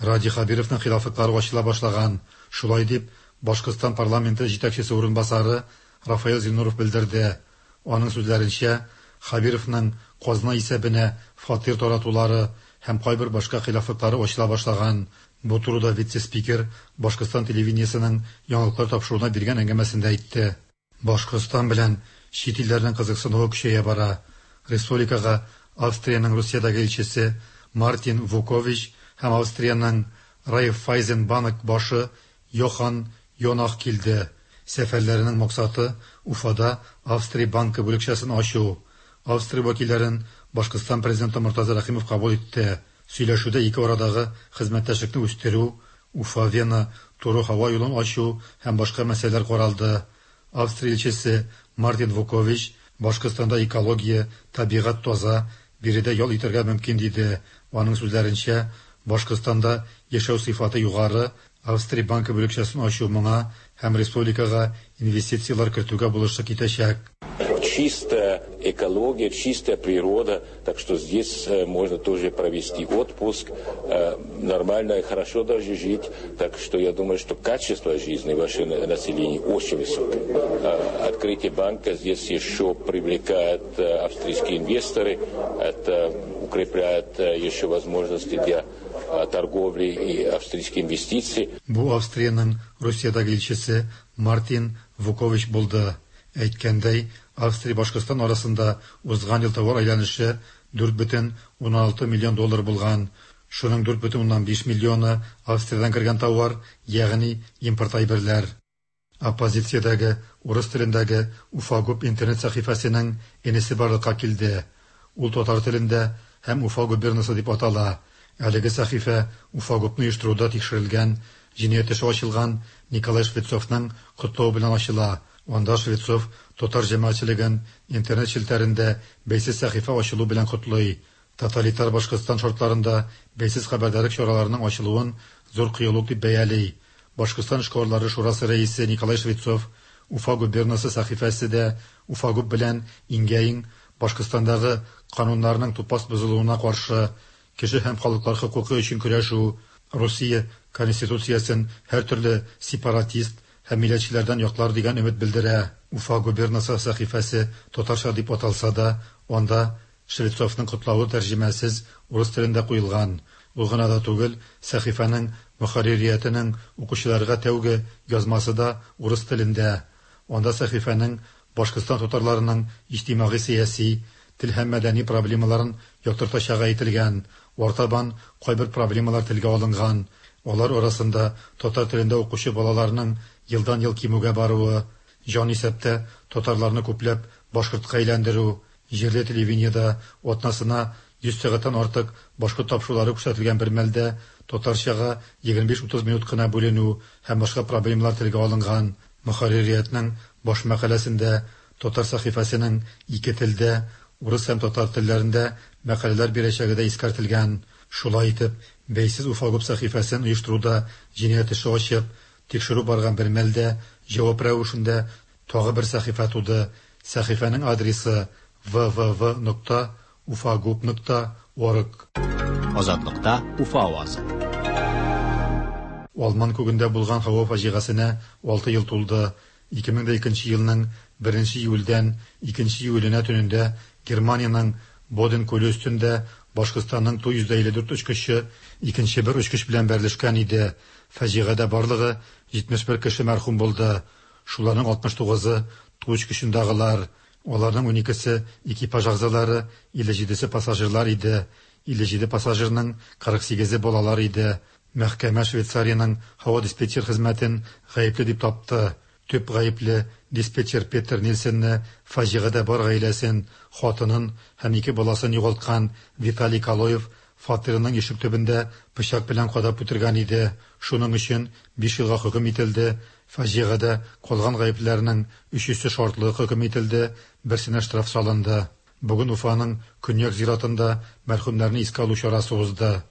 Радий Хәбировның хилафлыклары ачыла башлаган. Шулай дип, Башкортстан парламенты җитәкчесе урынбасары Рафаэль Зиннуров белдерде. Аның сүзләренчә, Хәбировның казна исәбенә фатир таратулары һәм кайбер башка хилафлыклары ачыла башлаган. Бу турыда вице-спикер Башкортстан телевидениесенең яңалыклар тапшыруына биргән әңгәмәсендә әйтте. Башкортстан белән чит илләрнең кызыксынуы көчәя бара. Республикага Австриянең Русиядәге илчесе Мартин Вукович һәм Австриянең Райффайзен банк башы Йохан Йонах килде. Сәфәрләренең максаты Уфада Австрия банкы бүлекчәсен ачу. Австрия вәкилләрен Башкортстан президенты Мортаза Рәхимов кабул итте. Сөйләшүдә ике арадагы хезмәттәшлекне үстерү, Уфа-Вена туры һава юлын ачу һәм башка мәсьәләләр каралды. Австрия илчесе Мартин Вукович Башкортстанда экология, табигать таза, биредә ял итәргә мөмкин диде. Аның сүзләренчә, Башкортстанда яшәү сыйфаты югары, Австрия банкы бүлекчәсен ачу моңа һәм республикага инвестицияләр кертүгә булышлык итәчәк. Чистая экология, чистая природа, так что здесь можно тоже провести отпуск, нормально и хорошо даже жить, так что я думаю, что качество жизни вашего населения очень высокое. Открытие банка здесь еще привлекает австрийские инвесторы, это укрепляет еще возможности для торговли и австрийские инвестиции. Бу Австриянең Русиядәге илчесе Мартин Вукович булды. Әйткәндәй, Австрия Башкортстан арасында узган ел товар әйләнеше дүрт бөтен уннан алты миллион доллар булган. Шуның дүрт бөтен уннан биш миллионы Австриядән кергән товар, ягъни импорт әйберләр. Оппозициядәге урыс телендәге Уфагуб интернет сәхифәсенең энесе барлыкка килде. Ул татар телендә һәм Уфа губернасы дип атала. Әлеге сәхифә Уфагубны оештыруда тикшерелгән, җинаять эше ачылган Николай Швецовның котлавы белән ачыла. Анда Швецов татар җәмәгатьчелеген интернет челтәрендә бәйсез сәхифә ачылу белән котлый. Тоталитар Башкортстан шартларында бәйсез хәбәрдарлык чараларының ачылуын зур кыюлык дип бәяли. Башкортстан эшкуарлары шурасы рәисе Николай Швецов Уфа губернасы сәхифәсе дә Уфагуб белән иңгә-иң Башкортстандагы кануннарның тупас бозылуына каршы кеше һәм халыклар хокукы өчен көрәшү, Русия конституциясен һәртөрле сепаратист һәм милләтчеләрдән яклар дигән өмет белдерә. Уфа губернасы сәхифәсе татарча дип аталса да, анда Швецовның котлавы тәрҗемәсез урыс телендә куелган. Ул гына да түгел, сәхифәнең мөхәрририятенең укучыларга тәүге язмасы да урыс телендә. Анда сәхифәнең Башкортстан татарларының иҗтимагый сәяси, тел һәм мәдәни проблемаларын яктыртачагы әйтелгән. Артабан кайбер проблемалар телгә алынган. Алар арасында татар телендә укучы балаларның елдан-ел кимүгә баруы, җан исәптә татарларны күпләп башкортка әйләндерү, җирле телевидениедә атнасына йөз сәгатьтән артык башкорт тапшырулары күрсәтелгән бер мәлдә татарчага егерме биш-утыз минут кына бүленү һәм башка проблемалар телгә алынган. Мөхәрририятнең баш мәкаләсендә татар сәхифәсенең ике телдә, урыс һәм татар телләрендә мәкаләләр бирәчәге дә искәртелгән. Шулай итеп, бәйсез Уфагуб сәхифәсен оештыруда җинаять эше ачып, тикшерү барган бер мәлдә җавап рәвешендә тагы бер сәхифә туды. Сәхифәнең адресы вэ вэ вэ нокта уфагуб нокта орг. Азатлыкта Уфа авазы. Алман күгендә булган һава фаҗигасенә алты ел тулды. ике мең дә икенче елның беренче июльдән икенче июленә төнендә Германиянең Боден күле өстендә Башкортстанның Ту йөз илле дүрт очкычы икенче бер очкыч белән бәрелешкән иде. Фаҗигадә барлыгы җитмеш бер кеше мәрхүм булды. Шуларның алтмыш тугызы Ту очкычындагылар, аларның уникесе экипаж әгъзалары, илле җидесе пассажирлар иде. Илле җиде пассажирның кырык сигезе балалар иде. Мәхкәмә Швейцариянең һава диспетчер хезмәтен гаепле дип тапты. Төп гаепле диспетчер Петер Нильсенне фаҗигадә бар гаиләсен, хатынын һәм ике баласын югалткан Виталий Калоев фатирының ишек төбендә пычак белән кадап үтергән иде. Шуның өчен биш елга хөкем ителде. Фаҗигадә калган гаеплеләрнең өчесе шартлы хөкем ителде, берсенә штраф салынды. Бүген Уфаның Көньяк зиратында мәрхүмнәрне искә алу чарасы узды.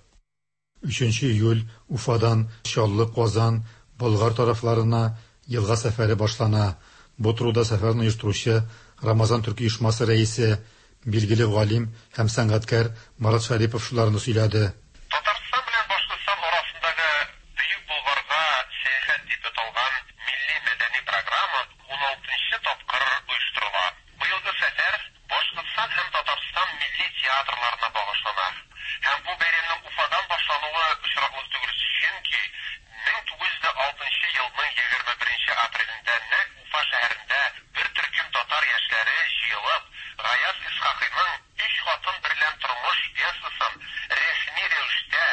Өченче июль Уфадан Чаллы, Казан, Болгар тарафларына елга сәфәре башлана. Бу турыда сәфәрне оештыручы Рамазан төрки оешмасы рәисе, билгеле галим һәм сәнгатькәр Марат Шәрипов шуларны сөйләде. Татарстан белән Башкортстан арасындагы Бөек Болгарга сәяхәт дип аталган милли мәдәни программа уналтынчы тапкыр оештырыла. Быелгы сәфәр Башкортстан һәм Татарстан милли театрларына багышлана. Һәм бу бәйрәмнең Уфадан башлануы очраклы түгел, чөнки мең тугыз йөз алтынчы елның егерме беренче апрелендә нәкъ Уфа шәһәрендә бер төркем татар яшьләре җыелып, Гаяз Исхакыйның Өч хатын берлән тормыш пьесасын рәсми рәвештә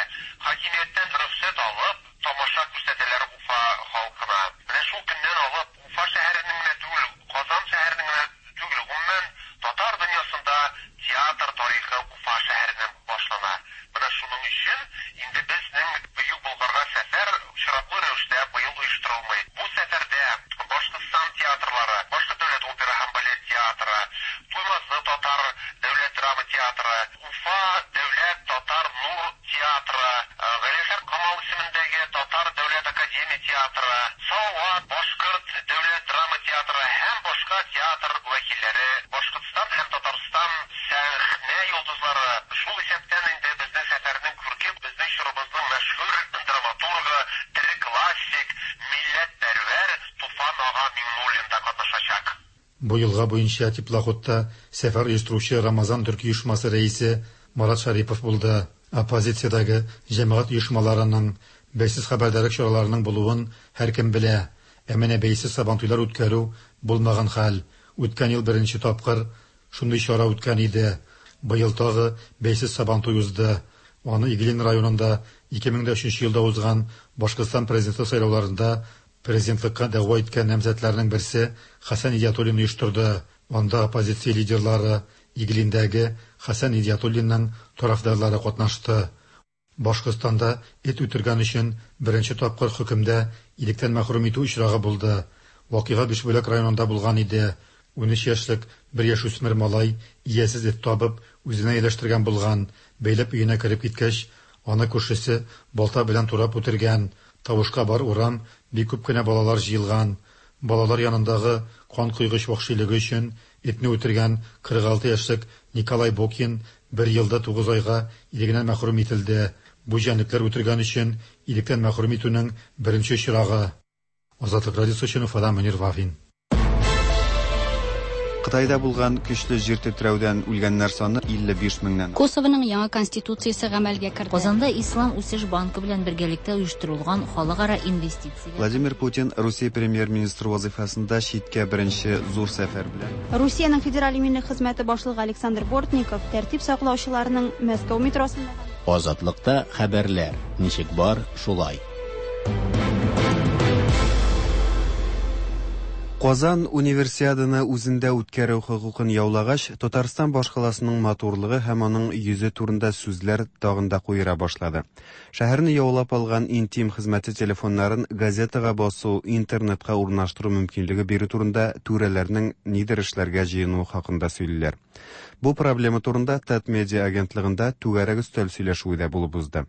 хакимияттән рөхсәт алып, тамаша күрсәтәләр Уфа халкына. Менә шул көннән алып Уфа шәһәренең генә түгел, Казан шәһәренең генә түгел, гомумән татар дөньясында театр тарихы Уфа шәһәреннән башлана. Менә шуның өчен инде безнең Бөек Болгарга сәфәр очраклы рәвештә быел оештырылмый. Бу сәфәрдә Башкортстан театрлары, Башкорт дәүләт опера һәм балет театры, Туймазы татар дәүләт драма театры, Уфа дәүләт татар нур театры, Галиәсгар Камал исемендәге татар дәүләт академия театры, Салават башкорт дәүләт драма театры һәм башка театр вәкилләре, Башкортстан һәм Татарстан сәхнә йолдызлары, шул исәптән инде безнең сәфәрнең күрке, безнең чорыбызның мәшһүр драматургы, тере классик, милләтпәрвәр Туфан ага Миңнуллин да катнашачак. Бу елга буенча теплоходта сәфәр оештыручы Рамазан төрки оешмасы рәисе Марат Шәрипов булды. Оппозициядәге җәмәгать оешмаларының, бәйсез хәбәрдарлык чараларының булуын һәркем белә. Ә менә бәйсез сабантуйлар үткәрү булмаган хәл. Үткән ел беренче тапкыр шундый чара үткән иде. Быел тагы бәйсез сабантуй узды. Аны Иглин районында ике мең дә өченче елда узган Башкортстан президенты сайлауларында президентлыкка дәгъва иткән намзәтләрнең берсе Хәсән Идиатуллин оештырды. Анда оппозиция лидерлары, Иглиндәге Хәсән Идиатуллинның тарафдарлары катнашты. Башкортстанда эт үтергән өчен беренче тапкыр хөкемдә иректән мәхрүм итү очрагы булды. Вакыйга Бишбүләк районында булган иде. Унөч яшьлек бер яшүсмер малай иясез эт табып, үзенә ияләштергән булган. Бәйләп өенә кереп киткәч, аны күршесе балта белән турап үтергән. Тавышка бар урам, бик күп кенә балалар җыелган. Балалар янындагы кан койгыч вәхшилеге өчен этне үтергән кырык алты яшьлек Николай Бокин бер елда тугыз айга ирегеннән мәхрүм ителде. Бу җәнлекләр үтергән өчен иректән мәхрүм итүнең беренче очрагы. Азатлык радиосы өчен Уфадан Мөнир Вафин. Кытайда булган көчле җир тетрәүдән үлгәннәр саны илле биш меңнән. Косовоның яңа конституциясе гамәлгә керде. Казанда Ислам үсеш банкы белән бергәлектә оештырылган халыкара инвестиция. Владимир Путин Русия премьер-министры вазифасында читкә беренче зур сәфәр белән. Русиянең федераль иминлек хезмәте башлыгы Александр Бортников тәртип саклаучыларның Мәскәү метросында Азатлыкта хәбәрләр ничек бар, шулай. Казан универсиаданы үзендә үткәрү хокукын яулагач, Татарстан башкаласының матурлыгы һәм аның йөзе турында сүзләр тагын да куера башлады. Шәһәрне яулап алган интим хезмәте телефоннарын газетага басу, интернетка урнаштыру мөмкинлеге бирү турында түрәләрнең нидер эшләргә җыенуы хакында сөйлиләр. Бу проблема турында Татмедиа агентлыгында түгәрәк өстәл сөйләшүе дә булып узды.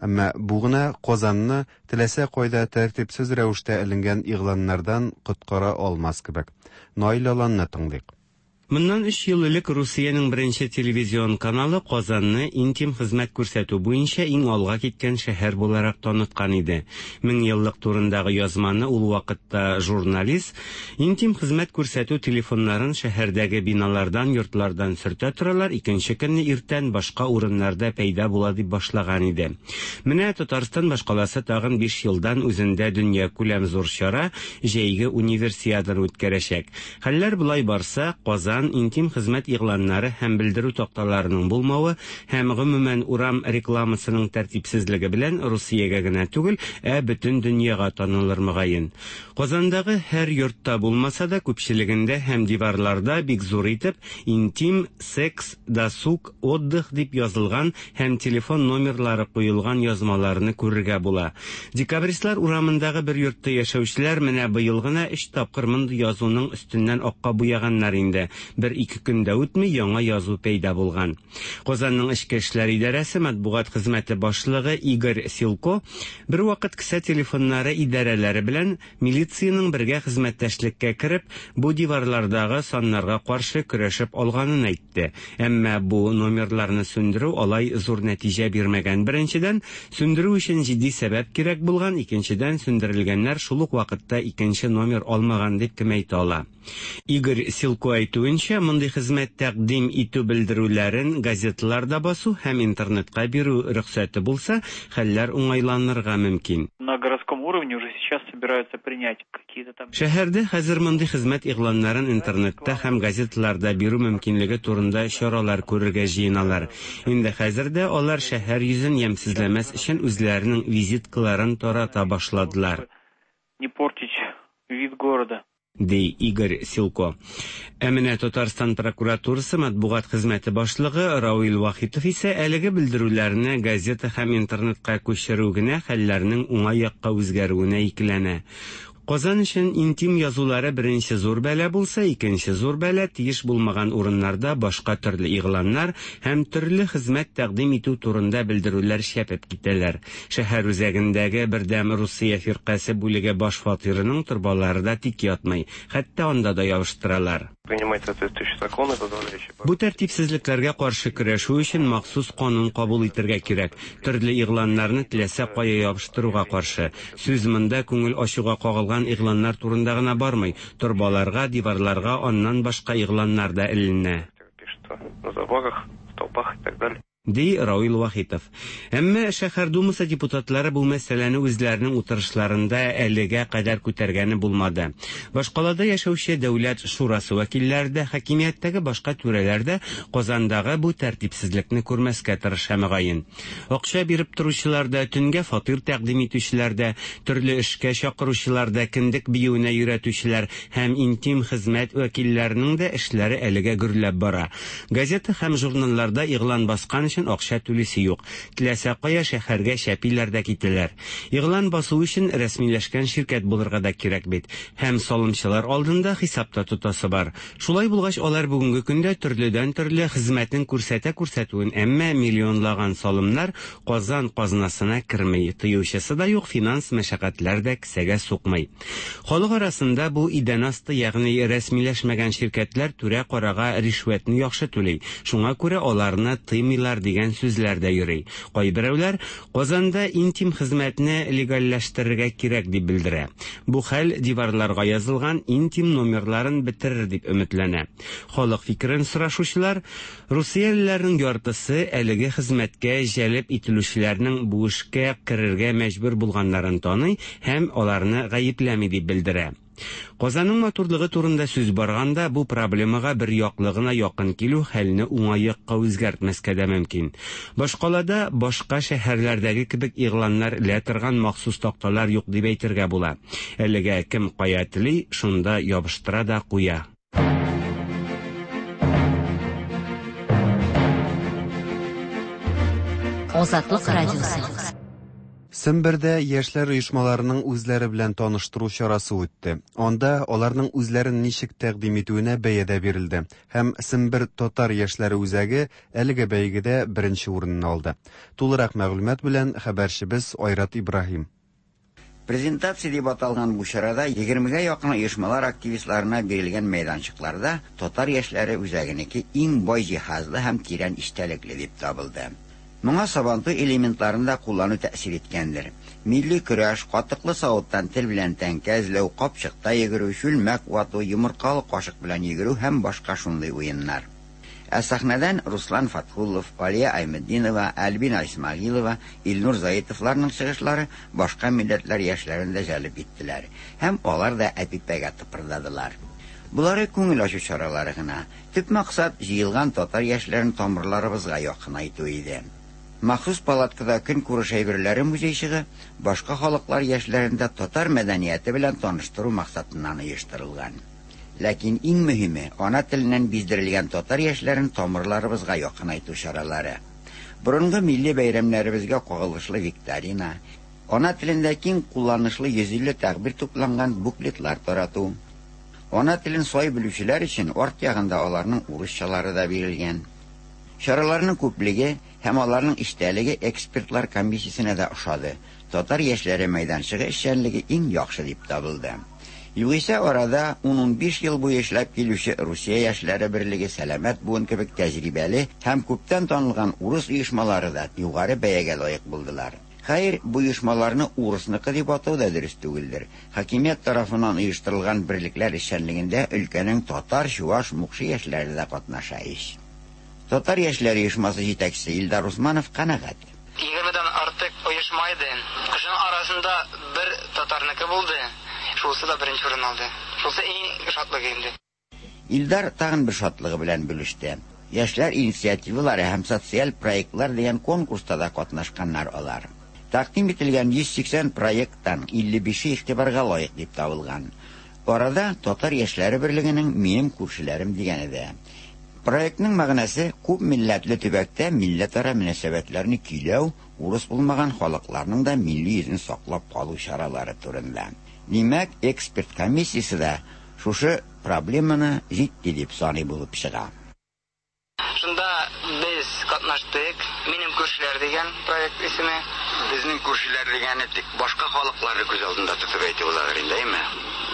Әмма бу гына Казанны теләсә кайда тәртипсез рәвештә эленгән игъланнардан коткара алмас кебек. Наил Аланны тыңлыйк. Моннан өч ел элек Русиянең беренче телевизион каналы Казанны интим хезмәт күрсәтү буенча иң алга киткән шәһәр буларак таныткан иде. Мең еллык турындагы язманы ул вакытта журналист интим хезмәт күрсәтү телефоннарын шәһәрдәге биналардан, йортлардан сөртә торалар, икенче көнне иртән башка урыннарда пәйда була дип башлаган иде. Менә Татарстан башкаласы тагын биш елдан үзендә дөнья күләм зур чара җәйге универсиаданы үткәрәчәк. Хәлләр болай барса, Казан интим хезмәт игъланнары һәм белдерү такталарының булмавы һәм гомумән урам рекламасының тәртипсезлеге белән Русиягә генә түгел, ә бөтен дөньяга танылыр мөгаен. Казандагы һәр йортта булмаса да, күпчелегендә һәм диварларда бик зур итеп интим, секс, досуг, отдых дип язылган һәм телефон номерлары куелган язмаларны күрергә була. Декабристлар урамындагы бер йортта яшәүчеләр менә быел гына өч тапкыр мондый язуның өстеннән акка буяганнар инде. Бер-ике көн дә үтми, яңа язу пәйда булган. Казанның эчке эшләр идарәсе матбугат хезмәте башлыгы Игорь Силко бервакыт кесә телефоннары идарәләре белән милициянең бергә хезмәттәшлеккә кереп, бу диварлардагы саннарга каршы көрәшеп алганын әйтте. Әмма бу номерларны сүндерү алай зур нәтиҗә бирмәгән. Беренчедән, сүндерү өчен җитди сәбәп кирәк булган, икенчедән, сүндерелгәннәр шул ук вакытта икенче номер алмаган дип кем әйтә ала. Игорь Силко әйтүенчә, мондый хезмәт тәкъдим итү белдерүләрен газеталарда басу һәм интернетка бирү рөхсәте булса, хәлләр уңайланырга мөмкин. На городском уровне уже сейчас собираются принять какие-то там... Шәһәрдә хәзер мондый хезмәт игъланнарын интернетта һәм газеталарда бирү мөмкинлеге турында чаралар күрергә җыеналар. Инде хәзер дә алар шәһәр йөзен ямьсезләмәс өчен үзләренең визиткаларын тарата башладылар. Не портить вид города. Ди Игорь Силко. Ә менә Татарстан прокуратурасы матбугат хезмәте башлыгы Равил Вахитов исә әлеге белдерүләрне газета һәм интернетка күчерү генә хәлләрнең уңай якка үзгәрүенә икеләнә. Казан өчен интим язулары беренче зур бәла булса, икенче зур бәла тиеш булмаган урыннарда башка төрле игъланнар һәм төрле хезмәт тәкъдим итү турында белдерүләр шәпеп китәләр. Шәһәр үзәгендәге Бердәм Русия фиркасе бүлеге баш фатирының торбалары да тик ятмый, хәтта анда да ябыштыралар. Принимать соответствующие законы, позволяющие... Бу тәртипсезлекләргә каршы көрәшү өчен махсус канун кабул итәргә кирәк. Төрле игъланнарны теләсә кая ябыштыруга каршы. Сүз монда күңел ачуга кагылган игъланнар турында гына бармый. Торбаларга, диварларга аннан башка игъланнар да эленә. На заборах, столбах и так далее. Ди Равил Вахитов. Әмма шәһәр думасы депутатлары бу мәсьәләне үзләренең утырышларында әлегә кадәр күтәргәне булмады. Башкалада яшәүче Дәүләт шурасы вәкилләре дә, хакимияттәге башка түрәләр дә Казандагы бу тәртипсезлекне күрмәскә тырыша мөгаен. Акча биреп торучылар да, төнгә фатир тәкъдим итүчеләр дә, төрле эшкә чакыручылар да, кендек биюенә өйрәтүчеләр һәм интим хезмәт вәкилләренең дә эшләре әлегә гөрләп бара. Газета һәм журналларда игълан баскан өчен акча түлисе юк. Теләсә кая шәһәргә шәпиләр дә китәләр. Игълан басу өчен рәсмиләшкән ширкәт булырга да кирәк бит. Һәм салымчылар алдында хисапта тотасы бар. Шулай булгач, алар бүгенге көндә төрледән төрле хезмәтен күрсәтә күрсәтүен, әмма миллионлаган салымнар Казан казнасына керми. Тыючысы да юк, финанс мәшәкатьләр дә кесәгә сукмый. Халык арасында бу идән асты, ягъни рәсмиләшмәгән ширкәтләр түрә карага ришвәтне яхшы түли. Шуңа күрә аларны тыймыйлар дигән сүзләр дә йөри. Кайберәүләр Казанда интим хезмәтне легальләштерергә кирәк дип белдерә. Бу хәл диварларга язылган интим номерларын бетерер дип өметләнә. Халык фикерен сорашучылар русиялеләрнең яртысы әлеге хезмәткә җәлеп ителүчеләрнең бу эшкә керергә мәҗбүр булганнарын таный һәм аларны гаепләми дип белдерә. Казанның матурлыгы турында сүз барганда бу проблемага бер яклы гына якын килү хәлне уңай якка үзгәртмәскә дә мөмкин. Башкалада башка шәһәрләрдәге кебек игъланнар элә торган махсус такталар юк дип әйтергә була. Әлегә кем кая тели, шунда ябыштыра да куя. Азатлык радиосы. Сембердә яшьләр оешмаларының үзләре белән таныштыру чарасы үтте. Анда аларның үзләрен ничек тәкъдим итүенә бәя дә бирелде. Һәм Сембер татар яшьләре үзәге әлеге бәйгедә беренче урынны алды. Тулырак мәгълүмат белән хәбәрчебез Айрат Ибраһим. Презентация дип аталган бу чарада егермегә якын оешмалар активистларына бирелгән мәйданчыкларда татар яшьләре үзәгенеке иң бай җиһазлы һәм тирән эчтәлекле дип табылды. Моңа сабантуй элементларын да куллану тәэсир иткәндер. Милли көрәш, катыклы савыттан тел белән тәңкә эзләү, капчыкта йөгерү, чүлмәк вату, йомыркалы кашык белән йөгерү һәм башка шундый уеннар. Ә сәхнәдән Руслан Фатхуллов, Алия Айметдинова, Альбина Исмагилова, Илнур Заитовларның чыгышлары башка милләтләр яшьләрен дә җәлеп иттеләр һәм алар да әпипәгә тыпырдадылар. Булары күңел ачу чаралары гына. Төп максат җыелган татар яшьләрен тамырларыбызга якынайту иде. Махсус палаткада көнкүреш әйберләре музейчыгы башка халыклар яшьләрен дә татар мәдәнияте белән таныштыру максатыннан оештырылган. Ләкин иң мөһиме ана теленнән биздерелгән татар яшьләрен тамырларыбызга якынайту чаралары. Борынгы милли бәйрәмнәребезгә кагылышлы викторина, ана телендә киң кулланышлы йөз илле тәгъбир тупланган буклетлар тарату, Ана телен сай белүчеләр өчен арт ягында аларның урысчалары да бирелгән. Чараларның күплеге һәм аларның эчтәлеге экспертлар комиссиясенә дә ошады. Татар яшьләре мәйданчыгы эшчәнлеге иң яхшы дип табылды. Югыйсә арада ун-унбиш ел буе эшләп килүче Русия яшьләре берлеге, Сәламәт буын кебек тәҗрибәле һәм күптән танылган урыс оешмалары да югары бәягә лаек булдылар. Хәер, бу оешмаларны урысныкы дип атау да дөрес түгелдер. Хакимият тарафыннан оештырылган берлекләр эшчәнлегендә өлкәнең татар, чуаш, мукшы яшьләре дә катнаша ич. Татар яшьләре оешмасы җитәкчесе Илдар Усманов канәгать. Егермедән артык оешма иде. Шуның арасында бер татарныкы булды. Шулсы да беренче урын алды. Шулсы иң шатлыгы инде. Илдар тагын бер шатлыгы белән бүлеште. Яшьләр инициативалары һәм социаль проектлар дигән конкурста да катнашканнар алар. Тәкъдим ителгән йөз сиксән проекттан илле бише игътибарга лаек дип табылган. Арада Татар яшьләре берлегенең Минем күршеләрем дигәне дә. Проектның мәгънәсе күп милләтле төбәктә милләтара мөнәсәбәтләрне көйләү, урыс булмаган халыкларның да милли йөзен саклап калу чаралары турында. Димәк, эксперт комиссиясе дә шушы проблеманы җитди дип саный булып чыга. Шунда без катнаштык. Минем күршеләр дигән проект исеме. Безнең күршеләр дигәне тик башка халыкларны күз алдында тотып әйтү буладыр инде, әйме?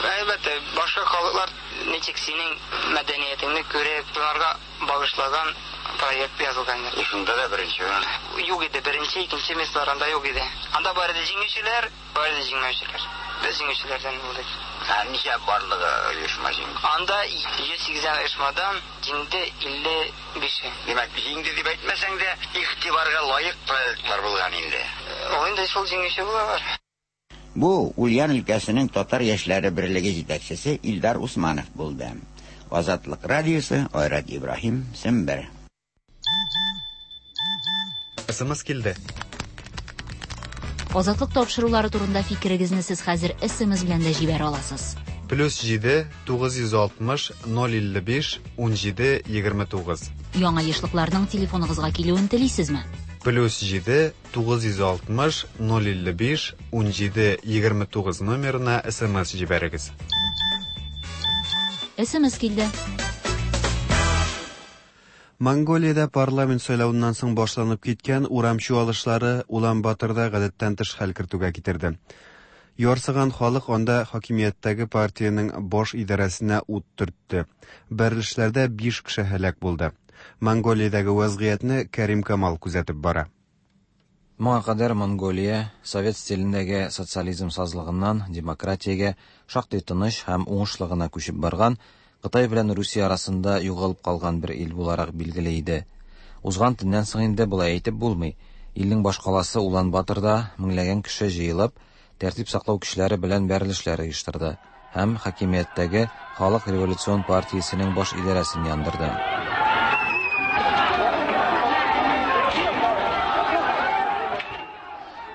Әлбәттә, башка халыклар ничек синең мәдәниятеңне күреп, шуларга багышлаган проект язылган. Шунда да беренче урын. Юк иде, беренче, икенче местолар анда юк иде. Анда бар иде җиңүчеләр, бар иде җиңмәүчеләр. Без җиңүчеләрдән булдык. Ә ничә барлыгы оешма җиңде? Анда йөз сиксән оешмадан җиңде илле бише. Димәк, җиңде дип әйтмәсәң дә, игътибарга лаек проектлар булган инде. Ул инде шул җиңүче булалар. Бу Ульян өлкәсенең Татар яшьләре берлеге җитәкчесе Илдар Усманов булды. Азатлык радиосы, Айрат Ибраһим, Сембер. Эс эм эс килде. Азатлык тапшырулары турында фикерегезне сез хәзер эс эм эс белән дә җибәрә аласыз. Плюс җиде, тугыз йөз алтмыш, ноль илле биш, ун җиде, егерме тугыз. Яңа ешлыкларның телефоныгызга килүен телисезме? Плюс җиде, тугыз йөз алтмыш, ноль илле биш, ун җиде, егерме тугыз номерына эс эм эс җибәрегез. эс эм эс килде. Монголиядә парламент сайлавыннан соң башланып киткән урам чуалышлары Улан-Баторда гадәттән тыш хәл кертүгә китерде. Ярсыган халык анда хакимияттәге партиянең баш идарәсенә ут төртте. Бәрелешләрдә биш кеше һәлак булды. Монголиядәге вазгыятьне Кәрим Камал күзәтеп бара. Моңа кадәр Монголия совет стилендәге социализм сазлыгыннан демократиягә шактый тыныч һәм уңышлы гына күчеп барган Кытай белән Русия арасында югалып калган бер ил буларак билгеле иде. Узган төннән соң инде болай әйтеп булмый. Илнең башкаласы Улан-Баторда меңләгән кеше җыелып, тәртип саклау көчләре белән бәрелешләр оештырды һәм хакимияттәге Халык революцион партиясенең баш идарәсен яндырды.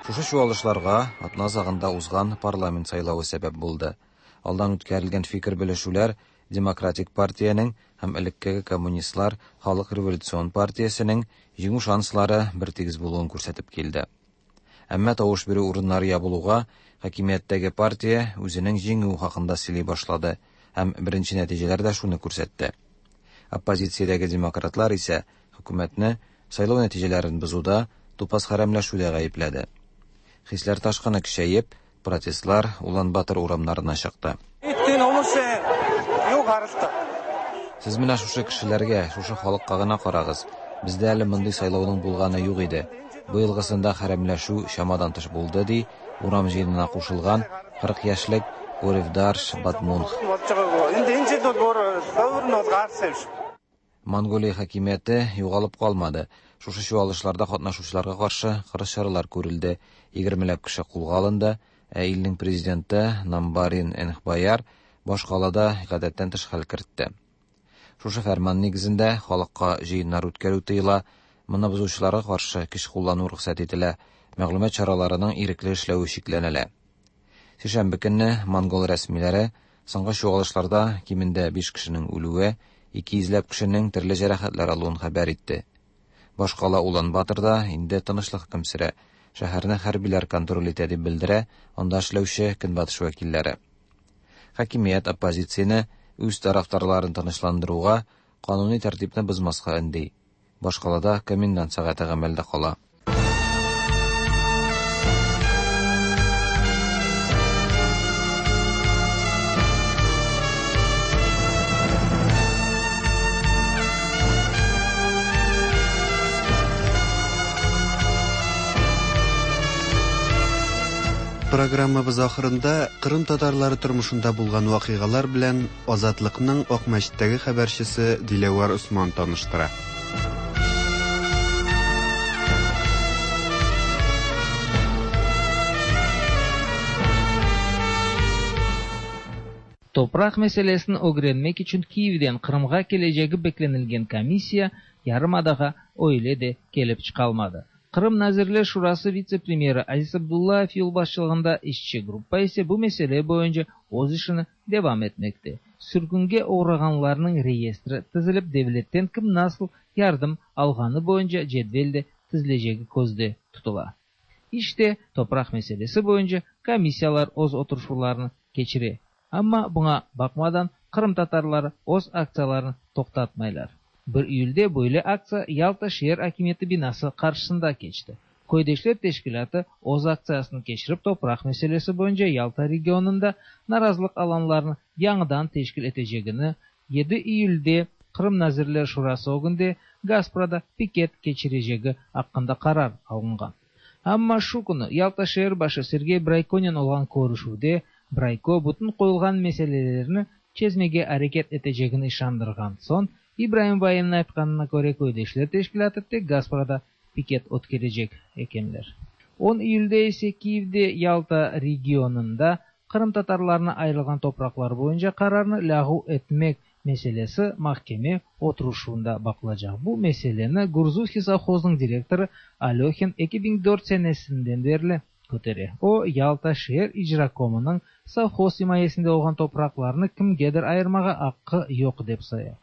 Шушы чуалышларга атна азагында узган парламент сайлавы сәбәп булды. Алдан үткәрелгән фикер белешүләр Демократик партиянең һәм элеккеге коммунистлар Халык революцион партиясенең җиңү шанслары бертигез булуын күрсәтеп килде. Әмма тавыш бирү урыннары ябылуга хакимияттәге партия үзенең җиңүе хакында сөйли башлады һәм беренче нәтиҗәләр дә шуны күрсәтте. Оппозициядәге демократлар исә хөкүмәтне сайлау нәтиҗәләрен бозуда, тупас хәрәмләшүдә гаепләде. Хисләр ташкыны көчәеп, протестлар Улан-Батор урамнарына чыкты. Сез менә шушы кешеләргә, шушы халыкка гына карагыз. Бездә әле мондый сайлауның булганы юк иде. Быелгысында хәрәмләшү чамадан тыш булды, ди урам җыенына кушылган кырык яшьлек Оревдарш Батмунх. Монголия хакимияте югалып калмады. Шушы чуалышларда катнашучыларга каршы кырыс чаралар күрелде. Егермеләп кеше кулга алынды. Ә илнең президенты Намбарин Энхбаяр башкалада гадәттән тыш хәл кертте. Шушы фәрман нигезендә халыкка җыеннар үткәрү тыела, моны бозучыларга каршы көч куллану рөхсәт ителә, мәгълүмат чараларының ирекле эшләве чикләнелә. Сишәмбе көнне монгол рәсмиләре соңгы чуалышларда кимендә биш кешенең үлүе, ике йөзләп кешенең төрле җәрәхәтләр алуын хәбәр итте. Башкала Улан-Баторда инде тынычлык хөкем сөрә. Шәһәрне хәрбиләр контроль итә дип белдерә анда эшләүче көнбатыш вәкилләре. Хакимият оппозицияне Үз тарафдарларын тынычландыруга, кануни тәртипне бозмаска өнди. Башкалада комендант сәгате гамәлдә кала. Программабыз ахырында Кырым татарлары тормышында булган вакыйгалар белән Азатлыкның Акмәчеттәге хәбәрчесе Диләвәр Усман таныштыра. Topraq meselesini ögrenmek içün Kiyevden Qırımğa kelecegi beklenilgen komissiya yarımadağa öyle de kelip çıqalmadı. Qırım Nazirler Şurası vitse-premyeri Aziz Abdullayev yolbaşçılığında işçi gruppa ise bu mesele boyunca öz işini devam etmekte. Sürgünge oğrağanlarnıñ reyestri tizilip devletten kim nasıl yardım alğanı boyunca cedvel de tizilecegi közde tutula. İşte topraq meselesi boyunca komissiyalar öz oturışuvlarını keçire. Amma buña baqmadan Qırım tatarları öz aktsiyalarını toqtatmaylar. bir iyülde böyle aktsiya Yalta şeer akimiyeti binası qarşısında keçti. Köydeşler teşkilâtı öz aktsiyasını keçirip topraq meselesi boyunca Yalta regionında narazılıq alanlarını yañıdan teşkil etecegini, yedi iyülde Qırım Nazirler Şurası ögünde Gasprada piket keçirecegi aqqında qarar alınğan. Amma şu künü Yalta şeer başı Sergey Braykonen olğan körüşüvde Brayko bütün qoyulğan meselelerni çezmege areket etecegini işandırğan soñ, İbrahim Vayenniñ aytqanına köre köydeşler teşkilâtı tek Gasprada piket ötkerecek ekenler. on iyülde ise Kiyevde Yalta regionında Qırım tatarlarına ayırılğan topraqlar boyunca qararnı lâğu etmek meselesi mahkeme oturışuvında baqılacaq. Bu meseleni Gurzufskiy sovhozınıñ direktorı Alöhin eki biñ dört senesinden berli kötere. O, Yalta şeer icrakomınıñ sovhoz imayesinde olğan topraqlarnı kimgedir ayırmağa aqqı yoq dep saya.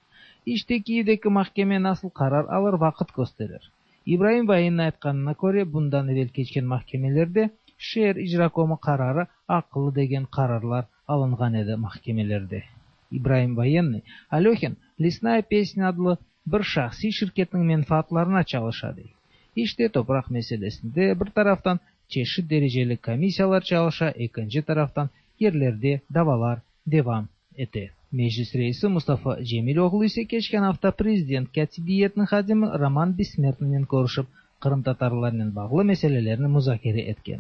İşte Kiyevdeki mahkeme nasıl qarar alır vaqıt kösterir. İbrahim Vayenniñ aytqanına köre, bundan evel keçken mahkemelerde şeer icrakomı qararı aqıllı degen qararlar alınğan edi mahkemelerde. İbrahim Voyenniy, Alöhin Lesnaya pesnâ adlı bir şahsiy şirketniñ menfaatlarına çalışa dey. İşte topraq meselesinde bir taraftan çeşit dereceli komissiyalar çalışa, ekinci taraftan yerlerde davalar devam ete. Meclis reisi Mustafa Cemiloğlu ise keçken afta prezident kâtibiyetiniñ hadimi Roman Bessmertninen körüşip, qırımtatarlarnen bağlı meselelerni muzakere etken.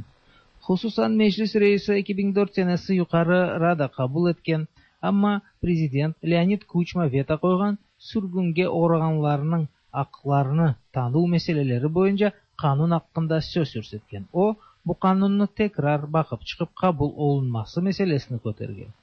Hususan Meclis reisi eki biñ dört senesi Yuqarı Rada qabul etken, amma prezident Leonid Kuçma veto qoyğan sürgünge oğrağanlarnıñ aqlarını tanuv meseleleri boyunca qanun aqqında söz yürsetken. O, bu qanunnı tekrar baqıp çıqıp qabul olunması meselesini kötergen.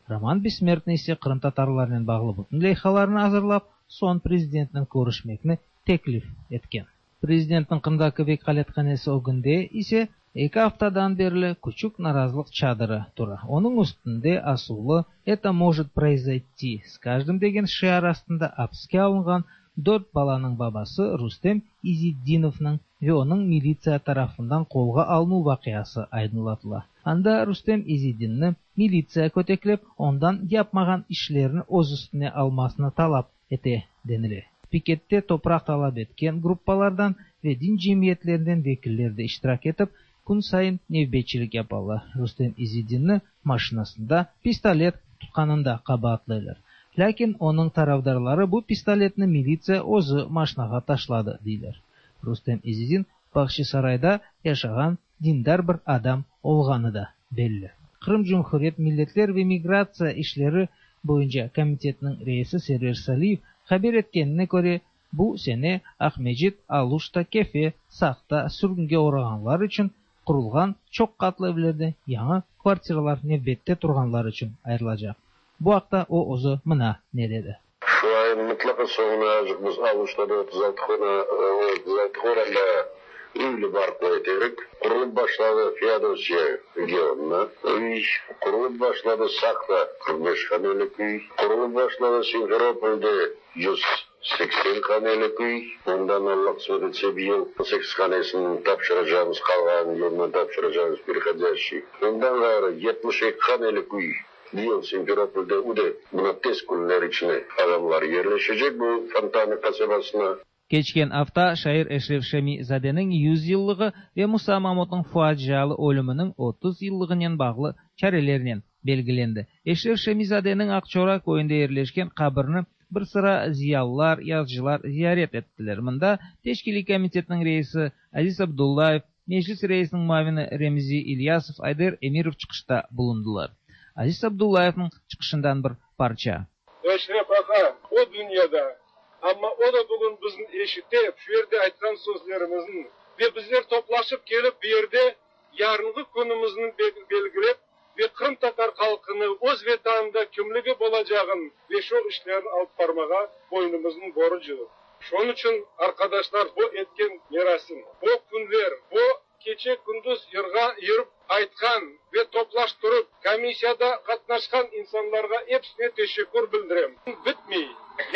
Roman Bessmertniy ise qırımtatarlarnen bağlı bütün leyhalarnı azırlap, soñ prezidentnen körüşmekni teklif etken. Prezidentniñ Qırımdaki vekâlethanesi ögünde ise eki aftadan berli küçük narazılıq çadırı tura. Onıñ üstünde asuvlı "Это может произойти с каждым" degen şiar astında apiske alınğan dört balanıñ babası Rustem İzitdinovnıñ ve onıñ militsiya tarafından qolğa alınuv vaqiası aydınlatıla. Anda Rustem İzitdinni militsiya köteklep, ondan yapmağan işlerini öz üstüne almasını talap ete denile. Pikette topraq talap etken gruppalardan ve din cemiyetlerinden vekiller de iştirak etip, kün sayın nevbetçilik yapalar. Rustem İzitdinni maşinasında pistolet tutqanında qabaatlaylar. Lâkin onıñ tarafdarları bu pistoletni militsiya özü maşinağa taşladı, deyler. Rustem İzitdin Bağçasarayda yaşağan dindar bir adam olğanı da belli. Qırım Cumhuriyet Milletler ve Migratsiya işleri boyunca komitetiniñ reisi Server Saliyev haber etkenine köre, bu sene Aqmescit, Aluşta, Kefe, Saqta sürgünge oğrağanlar içün qurulğan çoq qatlı evlerde yañı kvartiralar nevbette turğanlar içün ayırılacaq. Bu aqta o özü mına ne dedi. Şu ayın mıtlaqa soñuna azıq biz Aluştada otuz altı otuz altı horanda üylü barpo eterik. Qurulıp başladı Feodosiya regionuna üy, qurulıp başladı Saqta qırq beş hanelik üy, qurulıp başladı Simferopolde yüz seksen hanelik üy. Ondan Allah qısmet etse bir yıl sekiz hanesini tapşıracağımız, qalğanın yılına tapşıracağımız переходящий. Ondan ğayrı yetmiş eki hanelik üy Быйыл Симферопольдә үде мына tez günler içine adamlar yerleşecek bu Fontana kasabasına. Keçken afta şair Eşref Şemi-zadeniñ yüz yıllığı ve Musa Mamutnıñ facialı ölüminiñ otuz yıllığınen bağlı çarelernen belgilendi. Eşref Şemi-zadeniñ Aqçora köyünde yerleşken qabrini bir sıra ziyalılar, yazıcılar ziyaret ettiler. Mında Teşkiliy komitetiniñ reisi Aziz Abdullayev, Meclis reisiniñ muavini Remzi İlyasov, Ayder Emirov çıqışta bulundılar. Aziz Abdullayevniñ çıqışından bir parça. Eşref ağa o dünyada, amma o da bugün bizni eşitip, şu yerde aytqan sözlerimizni ve bizler toplaşıp kelip bu yerde yarınғы күнімізні belgilep ve Qırım tatar halqını öz vetanında kimligi bolacağın ve şu işlerini alıp barmağa boynumuzun borcu. Şonun için arkadaşlar bu etken merasim, bu günler, bu keçe gündüz yırğa yürüp aytqan ve toplaştırıp komissiyada qatnaşqan insanlarga hepsine teşekkür bildirem. Bitmey,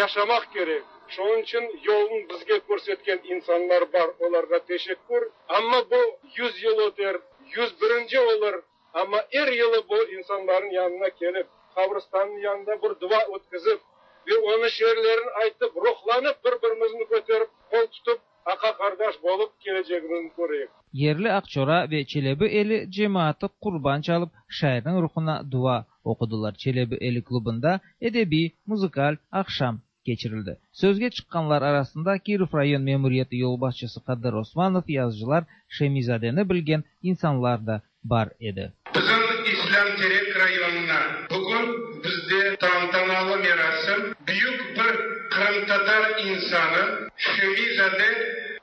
yaşamaq kerek. Şonun için yolun bizge көрсеткен insanlar bar, olarga teşekkür. Amma bu yüz yıl öter, yüz birinci olur. Amma er yılı bu insanların yanına kelip, kabristanın yanında bir dua ötkizip ve onun şiirlerini aytıp, ruhlanıp bir-birimizni köterip, kol tutup, aqa kardeş bolup geleceğimizni göreyik. Yerli Aqçora ve Çelebi Eli cemaati qurban çalıp şairniñ ruhuna dua oqudılar. Çelebi Eli klubunda edebi, muzikal aqşam keçirildi. Sözge çıqqanlar arasında Kirov rayon memuriyeti yolbaşçısı Qadir Osmanov, yazıcılar Şemi-zadeni bilgen insanlar da bar edi. Bizim İslam Terek rayonuna bugün bizde tantanalı merasim büyük bir Qırımtatar insanı Şemi-zade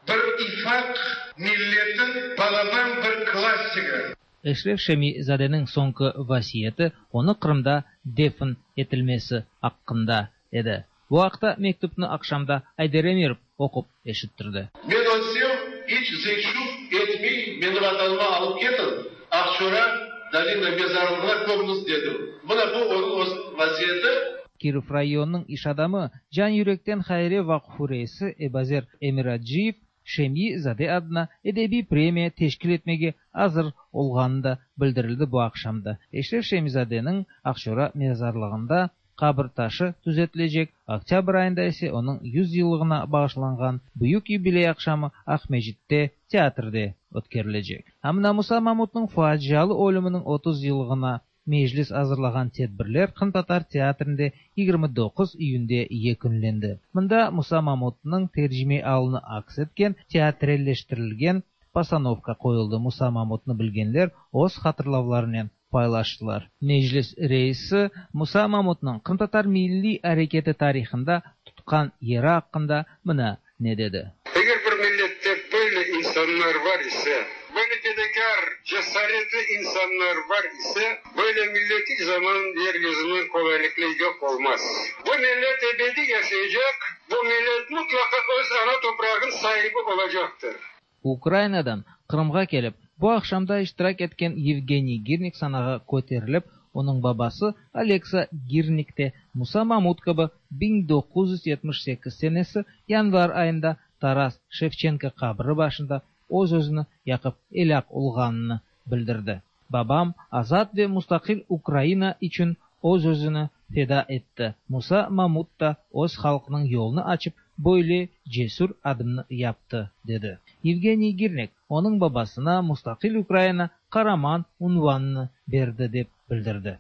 bir ifaq milletin balaban bir klassigi. Eşref Şemi-zadeniñ soñki vasiyeti onı Qırımda defn etilmesi aqqında edi. Bu aqta mektupni aqşamda Ayder Emirov oqup eşittirdi. Men ölsem iç zeyşuv etmey meni vatanıma alıp ketin, Aqçora Dalina mezarlığına kömüñiz dedim. Mına bu onıñ öz vaziyeti. Kirov rayonınıñ iş adamı Can Yürekten Hayriye Vaqfı reisi Ebazer Emiraciyev Şemi-zade adına edebiy premiya teşkil etmege azır olğanı da bildirildi bu aqşamda. Eşref Şemi-zadeniñ Aqçora mezarlığında qabir taşı tüzetilecek. Oktyabr ayında ise onıñ yüz yıllığına bağışlanğan büyük yubiley aqşamı Aqmescitte teatrde ötkerilecek. Amına Musa Mamutnıñ facialı ölüminiñ otuz yıllığına meclis azırlağan tedbirler Qırımtatar teatrinde yigirmi doquz iyünde yekünlendi. Mında Musa Mamutnıñ tercime alını aks etken teatrelleştirilgen postanovka qoyuldı. Musa Mamutnı bilgenler öz hatırlavlarınen paylaştılar. Meclis reisi Musa Mamutnıñ Qırımtatar milliy areketi tarihında tutqan yeri aqqında mına ne dedi. Eger bir millette böyle insanlar var ise, böyle fedakar, cesaretli insanlar var ise, böyle millet hiç zaman yeryüzünden kolaylıkla yok olmaz. Bu millet ebedi yaşayacak, bu millet mutlaka öz ana toprağın sahibi olacaktır. Ukrainadan Qırımğa kelip, bu aqşamda iştirak etken Yevgeniy Girnik sanağa köterilip, onıñ babası Aleksa Girnik te Musa Mamut kibi biñ doquz yüz yetmiş sekiz senesi yanvar ayında Taras Şevçenko qabri başında öz özüni yaqıp elâk olğanını bildirdi. Babam azat ve mustaqil Ukraina içün öz özüni feda etti. Musa Mamut da öz halqınıñ yolunu açıp böyle cesür adımnı yaptı, dedi. Yevgeniy Girnik onıñ babasına mustaqil Ukraina qaraman unvanını berdi dep bildirdi.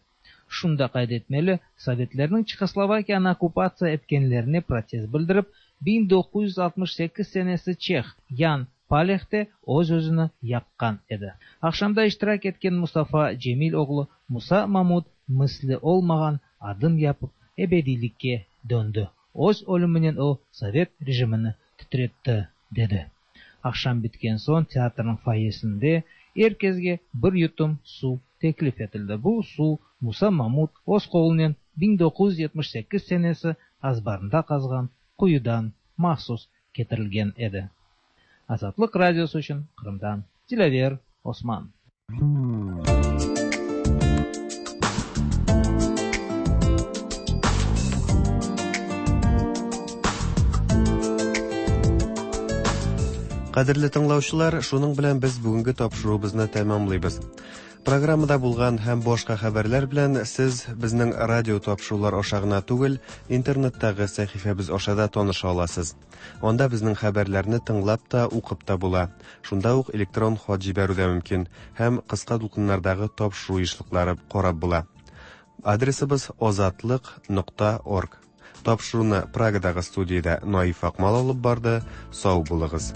Şunı da qayd etmeli, Sovetlerniñ Çehoslovakiyanı okkupatsiya etkenlerine protest bildirip, biñ doquz yüz altmış sekiz senesi çeh Yan Paleh te öz özüni yaqqan edi. Aqşamda iştirak etken Mustafa Cemil oğlu Musa Mamut misli olmağan adım yapıp ebediylikke döndü. Öz ölüminen o sovet rejimini titretti, dedi. Aqşam bitken soñ teatrniñ foyesinde er kesge bir yutum suv teklif etildi. Bu suv Musa Mamut öz qolunen biñ doquz yüz yetmiş sekiz senesi azbarında qazğan quyudan mahsus ketirilgen edi. Azatlıq radiosı içün Qırımdan Dilâver Osman. Кадерле тыңлаучылар, шуның белән без бүгенге тапшыруыбызны тәмамлыйбыз. Программада булган һәм башка хәбәрләр белән сез безнең радио тапшырулар аша гына түгел, интернеттагы сәхифәбез аша да таныша аласыз. Анда безнең хәбәрләрне тыңлап та, укып та була. Шунда ук электрон хат җибәрү дә мөмкин һәм кыска дулкыннардагы тапшыру ешлыклары карап була. Адресыбыз озатлык нокта орг. Тапшыруны Прагадагы студиядә Наиф Акмал алып барды. Сау булыгыз.